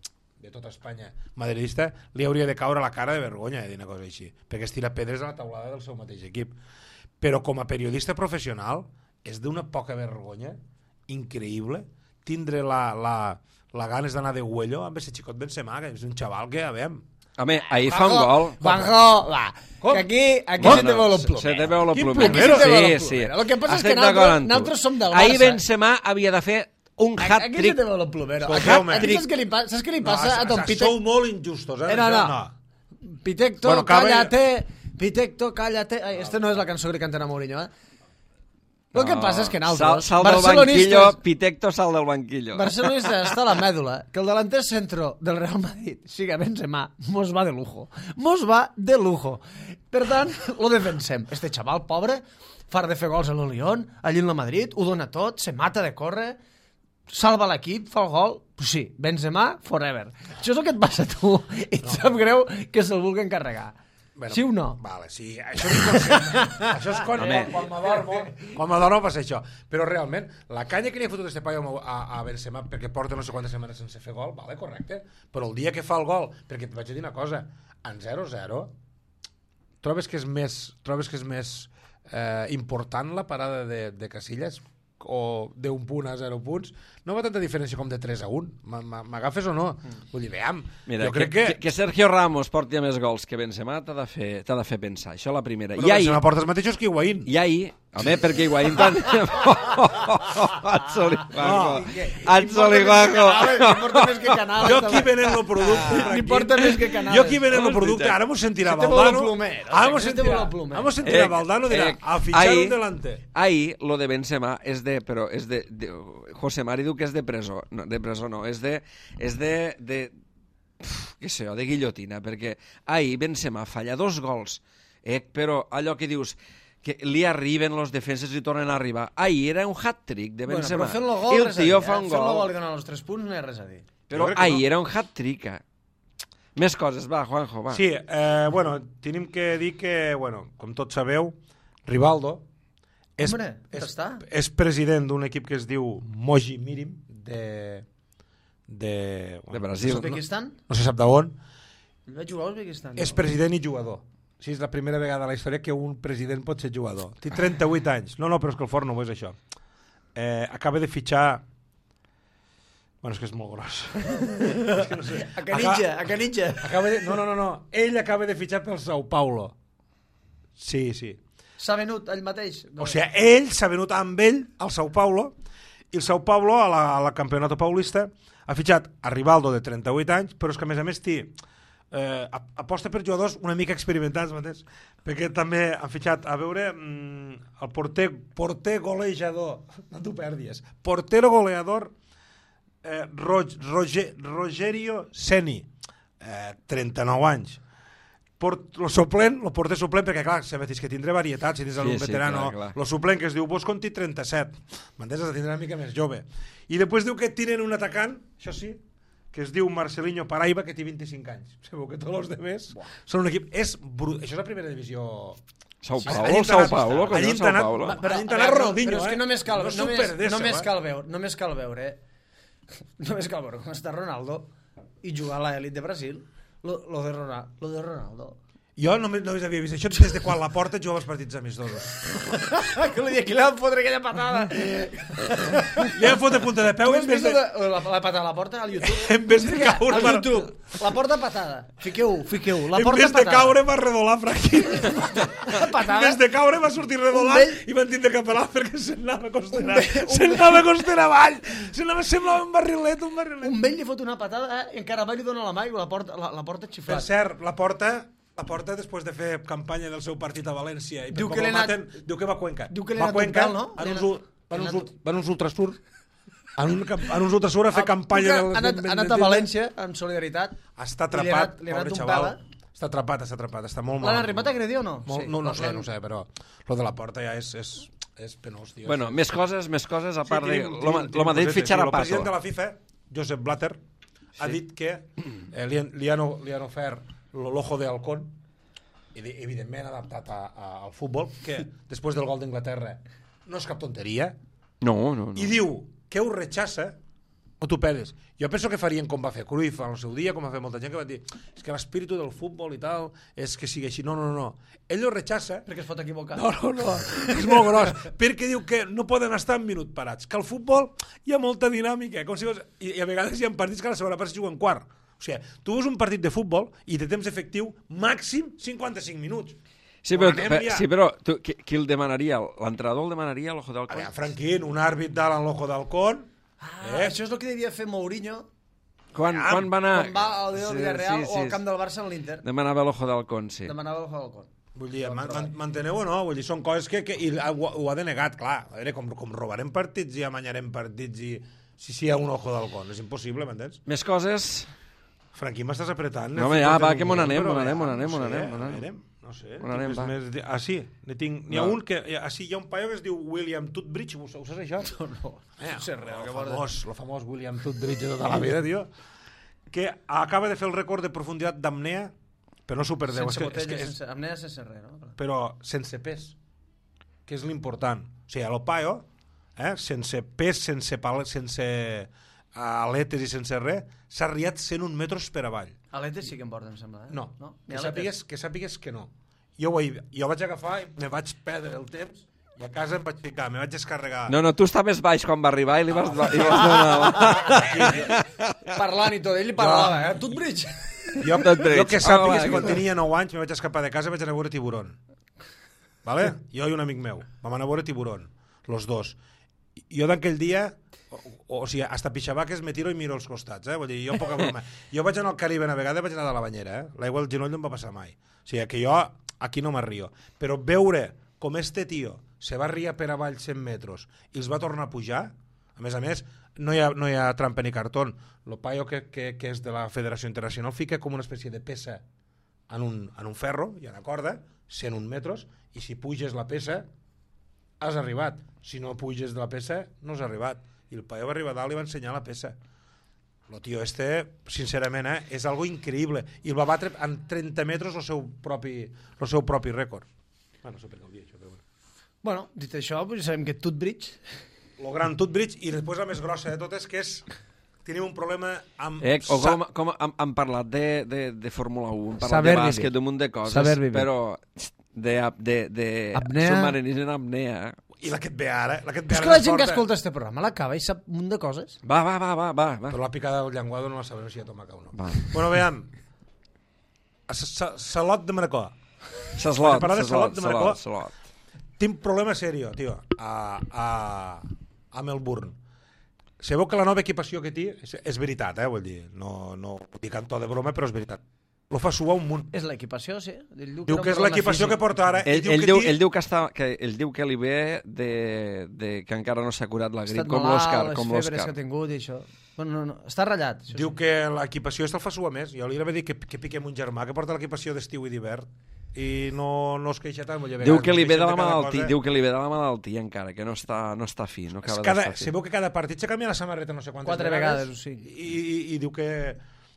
tota Espanya madridista, li hauria de caure la cara de vergonya dir una cosa així, perquè es tira pedres a la taulada del seu mateix equip. Però com a periodista professional és d'una poca vergonya increïble tindre la ganes d'anar de huello amb aquest xicot Benzema, que és un xaval que, Home, ahir fa un gol. Juanjo, va, que aquí se te veu el plumero. Se te veu el plumero. Sí. El que passa és que nosaltres som del Barça. Ahir Benzema havia de fer un hat-trick. Aquí se te veu el plumero. Saps què li passa a Don Pitecto? Sou molt injustos, No. Pitecto, cállate. Pitecto, cállate. Este no és la cançó que li canten a Mourinho, El que passa és que nosaltres, sal del banquillo, Pitecto sal del banquillo. Barcelonistes està a la mèdula que el delanter centro del Real Madrid siga Benzema, mos va de lujo. Per tant, lo defensem. Este xaval pobre, far de fer gols a l'Olión, allí en la Madrid, ho dona tot, se mata de córrer, salva l'equip, fa el gol, sí, Benzema forever. Això és el que et passa a tu, i et sap greu que se'l vulguen carregar. Bueno, sí o no? Vale, sí, això és inconscient. Això és quan m'adormo passa això. Però realment, la canya que li ha fotut este paio a Benzema perquè porta no sé quantes setmanes sense fer gol, vale, correcte, però el dia que fa el gol, perquè et vaig dir una cosa, en 0-0 trobes que és més important la parada de Casillas o d'un punt a 0 punts, no va tanta diferència com de 3-1. M'agafes o no? Vull dir, veiem. Mira, jo crec que Sergio Ramos porti més gols que Benzema t'ha de fer pensar. Això la primera. Però Benzema porta els mateixos que Higuaín. I ahir, home, perquè Higuaín tant... Atzoligaco. Jo aquí venent el producte. Ni porta més que Canales. Jo aquí venent el producte. Ara m'ho sentirà Valdano. Ara m'ho sentirà Valdano. Dirà, a fitxar un delante. Ahir, lo de Benzema és de... Però és de... José Mari diu que és de presó. No, de presó no. És de què sé jo, de guillotina, perquè ahir Benzema falla 2 gols, però allò que dius que li arriben los defenses i tornen a arribar. Ahir era un hat-trick de Benzema. I el tio fa un gol. Fent-lo gol i donar els 3 punts no hi ha res a dir. Però ahir era un hat-trick. Més coses, va, Juanjo, va. Sí, bueno, tenim que dir que, bueno, com tots sabeu, Rivaldo és president d'un equip que es diu Mogi Mirim de Brasil. No se sap d'on. Va jugar a Uzbekistan. És president i jugador. Sí, és la primera vegada a la història que un president pot ser jugador. Té 38 anys. No, però és que el forn no és això. Acaba de fitxar... Bueno, és que és molt gros. És que no sé. A Canitja. No. Ell acaba de fitxar pel Sao Paulo. Sí. S'ha venut ell mateix? O sigui, ell s'ha venut amb ell al Sao Paulo I el Sao Paulo, a la Campeonato Paulista, ha fitxat a Rivaldo, de 38 anys, però és que, a més, aposta per jugadors una mica experimentats, mateix, perquè també han fitxat, a veure, el porter golejador, no t'ho perdis, portero goleador, Rogerio Seni, 39 anys. El porter suplent, perquè clar, és que tindré varietat, si tens un veterano, el suplent que es diu Bosconti, 37, m'entens? Has de tindre una mica més jove. I després diu que tenen un atacant, això sí, que es diu Marcelinho Paraiba, que té 25 anys. Sabeu que tots els demés són un equip... Això és la primera divisió... Sao Paulo, allí internat Ronaldinho, però és que només cal veure com està Ronaldo i jugar a l'elit de Brasil, lo de Ronaldo. Jo només havia vist això des de quan la Porta jugava els partits amistosos. Que li van fotre aquella patada. Li van fotre punta de peu la patada a la Porta al YouTube? En vez de caure... Al YouTube, la Porta patada. Fiqueu, la Porta patada. En vez de caure va redolar, Franqui. En vez de caure va sortir redolant i van tindre que pelar perquè se'nava a costera avall. Semblava un barrilet. Un vell li fot una patada i encara mai li dona la mà i la Porta xiflat. Per cert, la Porta, després de fer campanya del seu partit a València i diu que va a Cuenca. Diu que l'he anat un pèl, no? Van uns ultrasur. En uns ultrasur a fer campanya... Ha anat a València amb solidaritat. Està atrapat, pobre xaval. Està atrapat, està molt mal. L'han arribat a agredir o no? No sé, però lo de la Porta ja és penós, tio. Bueno, més coses, a part de... Lo Madrid fitxarà Paco. El president de la FIFA, Josep Blatter, ha dit que li han ofert l'ojo de halcón, evidentment adaptat al futbol, que després del gol d'Anglaterra no és cap tonteria. No. I diu que ho rechaça, no t'ho pedes. Jo penso que farien com va fer Cruyff al seu dia, com va fer molta gent que va dir és que l'espíritu del futbol i tal és que sigui així. No. Ell ho rechaça. Perquè es pot equivocar. No. És molt gros. Perquè diu que no poden estar un minut parats. Que al futbol hi ha molta dinàmica. I a vegades hi ha partits que a la segona part es juguen quart. O sigui, tu veus un partit de futbol i té temps efectiu màxim 55 minuts. Sí, però qui el demanaria? L'entrenador el demanaria l'ojo d'halcón? Franquín, un àrbit dalt en l'ojo d'halcón. Això és el que devia fer Mourinho quan va anar... Quan va al Villarreal o al camp del Barça en l'Inter. Demanava l'ojo d'halcón, sí. Vull dir, m'enteneu o no? Vull dir, són coses que ho ha denegat, clar. A veure, com robarem partits i amanyarem partits i... Si hi ha un ojo d'halcón, és impossible, m'entens? Més coses... Franqui, m'estàs apretant. No, va, que m'on anem. No sé. Sí, n'hi ha un que... Hi ha un paio que es diu William Tutbridge, ho saps això? No sé res. El famós William Tutbridge de tota la vida, tio, que acaba de fer el rècord de profunditat d'apnea, però no super 10. Apnea sense res, no? Però sense pes, que és l'important. O sigui, el paio, sense pes, sense aletes i sense res, s'ha riat 101 metres per avall. Aletes sí que em porten, em sembla. No? Que sàpigues que no. Jo vaig agafar i me vaig perdre el temps i a casa em vaig ficar, me vaig descarregar. No, tu estaves baix quan va arribar i li vas donar. Parlant i tot, ell parlava, Tutbridge. Jo que sàpigues que quan tenia 9 anys me vaig escapar de casa i vaig anar a veure Tiburón. Vale? Jo i un amic meu vam anar a veure Tiburón, los dos. Jo d'aquell dia... O sigui, hasta pixabaques me tiro i miro als costats, Vull dir, jo poca broma. Jo vaig anar al Caribe una vegada i vaig anar de la banyera, L'aigua al genoll no em va passar mai. O sigui, que jo aquí no m'arrio. Però veure com este tio se va riar per avall 100 metres i els va tornar a pujar, a més, no hi ha trampa ni cartó. El paio que és de la Federació Internacional fica com una espècie de peça en un ferro, hi ha una corda, 101 metres, i si puges la peça, has arribat. Si no puges de la peça, no has arribat. I el paio va arribar dalt i va ensenyar la peça. El tio sincerament, és algo increïble. I el va batre en 30 metres el seu propi rècord. No sé per què ho dia, això, però bueno. Bueno, dit això, sabem que Tutbridge... El gran Tutbridge, i després la més grossa de totes, que és... Tenim un problema amb... Com han parlat de Fórmula 1, han parlat de bàsquet, d'un munt de coses, però de submarinisme en apnea... I la que et ve ara... És que la gent que escolta este programa l'acaba i sap un munt de coses. Va. Però la picada del llenguado no la sabem si hi ha tomaca o no. Bueno, veiem. Salot de Manacor. Salot. Tinc problema serio, tio, a Melbourne. sabeu que la nova equipació que té és veritat, vull dir, no ho dic en to de broma, però és veritat. Lo fa suar un munt. És l'equipació, sí. Diu que és l'equipació que porta ara. Ell diu que li ve que encara no s'ha curat la grip, com l'Òscar. Les febres que ha tingut i això. Bueno, no, està ratllat. Diu que l'equipació el fa suar més. Jo li he de dir que piquem un germà que porta l'equipació d'estiu i d'hivern i no es queixa tant. Diu que li ve de la malaltia encara, que no està fi. No acaba d'estar fi. Sabeu que cada partit s'ha canviat la samarreta no sé quantes 4 vegades, o sigui. I diu que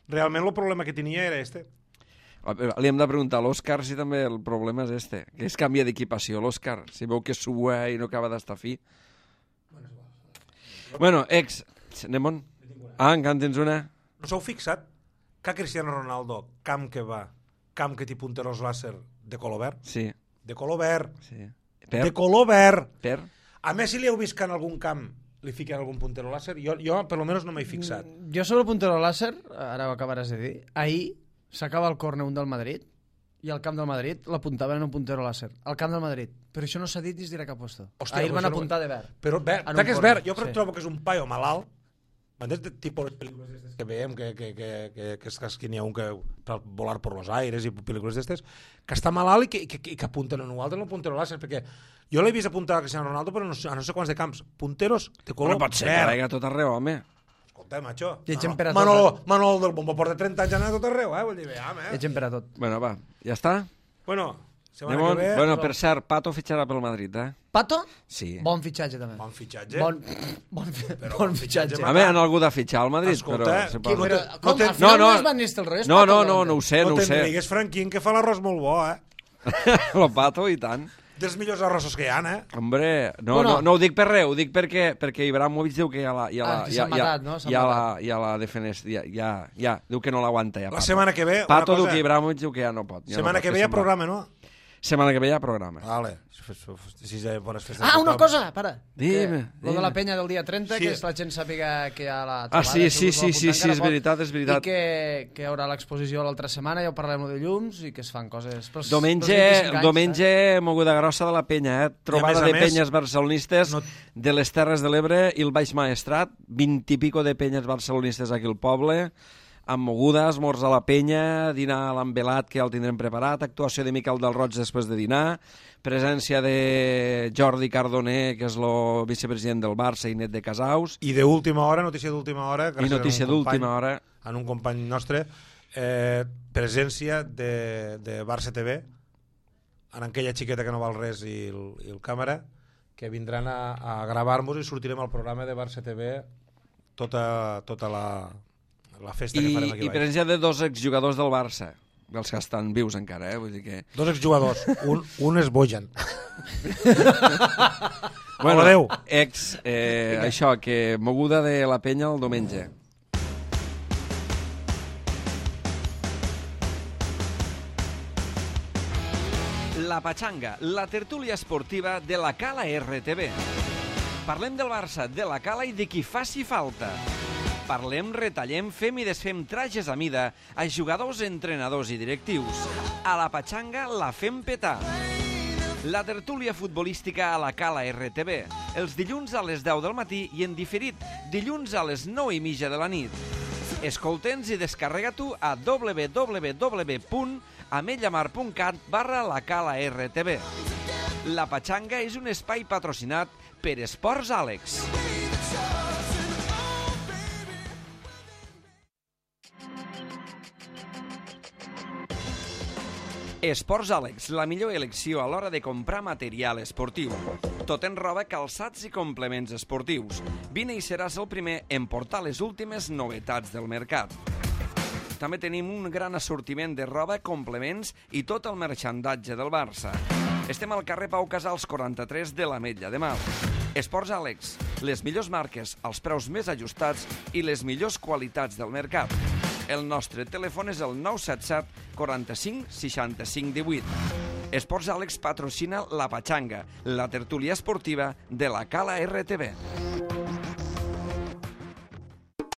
realment el problema que tenia era este. Li hem de preguntar a l'Òscar si també el problema és este, que es canvia d'equipació, l'Òscar, si veu que sua i no acaba d'estar fi. Bueno, anem on? Encara en tens una? No s'heu fixat que Cristiano Ronaldo, camp que té punteros làser de color verd? Sí. De color verd. Sí. De color verd. Per? A Messi li heu vist que en algun camp li fiquen algun puntero làser? Jo per almenys no m'he fixat. Jo sobre el puntero làser, ara ho acabaràs de dir, ahir s'acaba el córner un del Madrid i al camp del Madrid l'apuntaven en un puntero làser. Al camp del Madrid. Però això no s'ha dit des d'ira cap puesto. Ahir van apuntar de verd. Però verd, que és verd. Jo trobo que és un paio malalt. M'entens? Tipus pel·lícules que veiem, que n'hi ha un que per volar per los aires i pel·lícules d'estes, que està malalt i que apunten en un altre en el puntero làser, perquè jo l'he vist apuntar a Cristiano Ronaldo, però a no sé quants de camps. Punteros de color verd. No pot ser que vega tot arreu, home. Escolta, macho. Manol del Bombo porta 30 anys anant a tot arreu, vull dir, Llegem per a tot. Bueno, va, ja està? Bueno, setmana que ve... Bueno, per cert, Pato fitxarà pel Madrid, Pato? Sí. Bon fitxatge, també. Bon fitxatge. Bon fitxatge. A mi han algú de fitxar al Madrid, escolta, però... Com? Al final no és Van Nistelrooy? No ho sé. No te'n digues, Franquín, que fa l'arròs molt bo, Lo Pato, i tant. Dels millors arrossos que hi ha, Hombre, no ho dic per res, ho dic perquè Ibrahimovic diu que ja la defenest, ja, diu que no l'aguanta ja. La setmana que ve... Pato diu que Ibrahimovic diu que ja no pot. Setmana que ve hi ha programa, no? Setmana que ve hi ha programa. Vale. Bones festes. Una cosa, para. Dime. Lo de la penya del dia 30, que la gent sàpiga que hi ha la trobada. Sí, és veritat. I que hi haurà l'exposició l'altra setmana, ja ho parlem de llums, i que es fan coses... Diumenge, moguda grossa de la penya, trobada de penyes barcelonistes de les Terres de l'Ebre i el Baix Maestrat, 20 i pico de penyes barcelonistes aquí al poble, amb moguda, esmorz a la penya, dinar a l'Ambelat, que ja el tindrem preparat, actuació de Miquel del Roig després de dinar, presència de Jordi Cardoner, que és el vicepresident del Barça i net de Casaus. I d'última hora, notícia d'última hora, en un company nostre, presència de Barça TV, en aquella xiqueta que no val res i el càmera, que vindran a gravar-nos i sortirem al programa de Barça TV tota la festa que farem aquí baix. I presència de 2 exjugadors del Barça, dels que estan vius encara, vull dir que... 2 exjugadors, un és Bojan. Bueno, adéu. Això, que moguda de la penya el diumenge. La Patxanga, la tertúlia esportiva de la Cala RTV. Parlem del Barça, de la Cala i de qui faci falta. Parlem, retallem, fem i desfem trajes a mida a jugadors, entrenadors i directius. A la Patxanga la fem petar. La tertúlia futbolística a la Cala RTV, els dilluns a les 10 del matí i en diferit, dilluns a les 9:30 de la nit. Escolta'ns i descarrega-t'ho a www.ametlllamar.cat/la Cala RTV. La Patxanga és un espai patrocinat per Esports Àlex. Esports Àlex, la millor elecció a l'hora de comprar material esportiu. Tot en roba, calçats i complements esportius. Vine i seràs el primer en portar les últimes novetats del mercat. També tenim un gran assortiment de roba, complements i tot el merxandatge del Barça. Estem al carrer Pau Casals 43 de l'Ametlla de Mar. Esports Àlex, les millors marques, els preus més ajustats i les millors qualitats del mercat. El nostre telèfon és el 977 45 65 18. Esports Àlex patrocina la Patxanga, la tertúlia esportiva de la Cala RTV.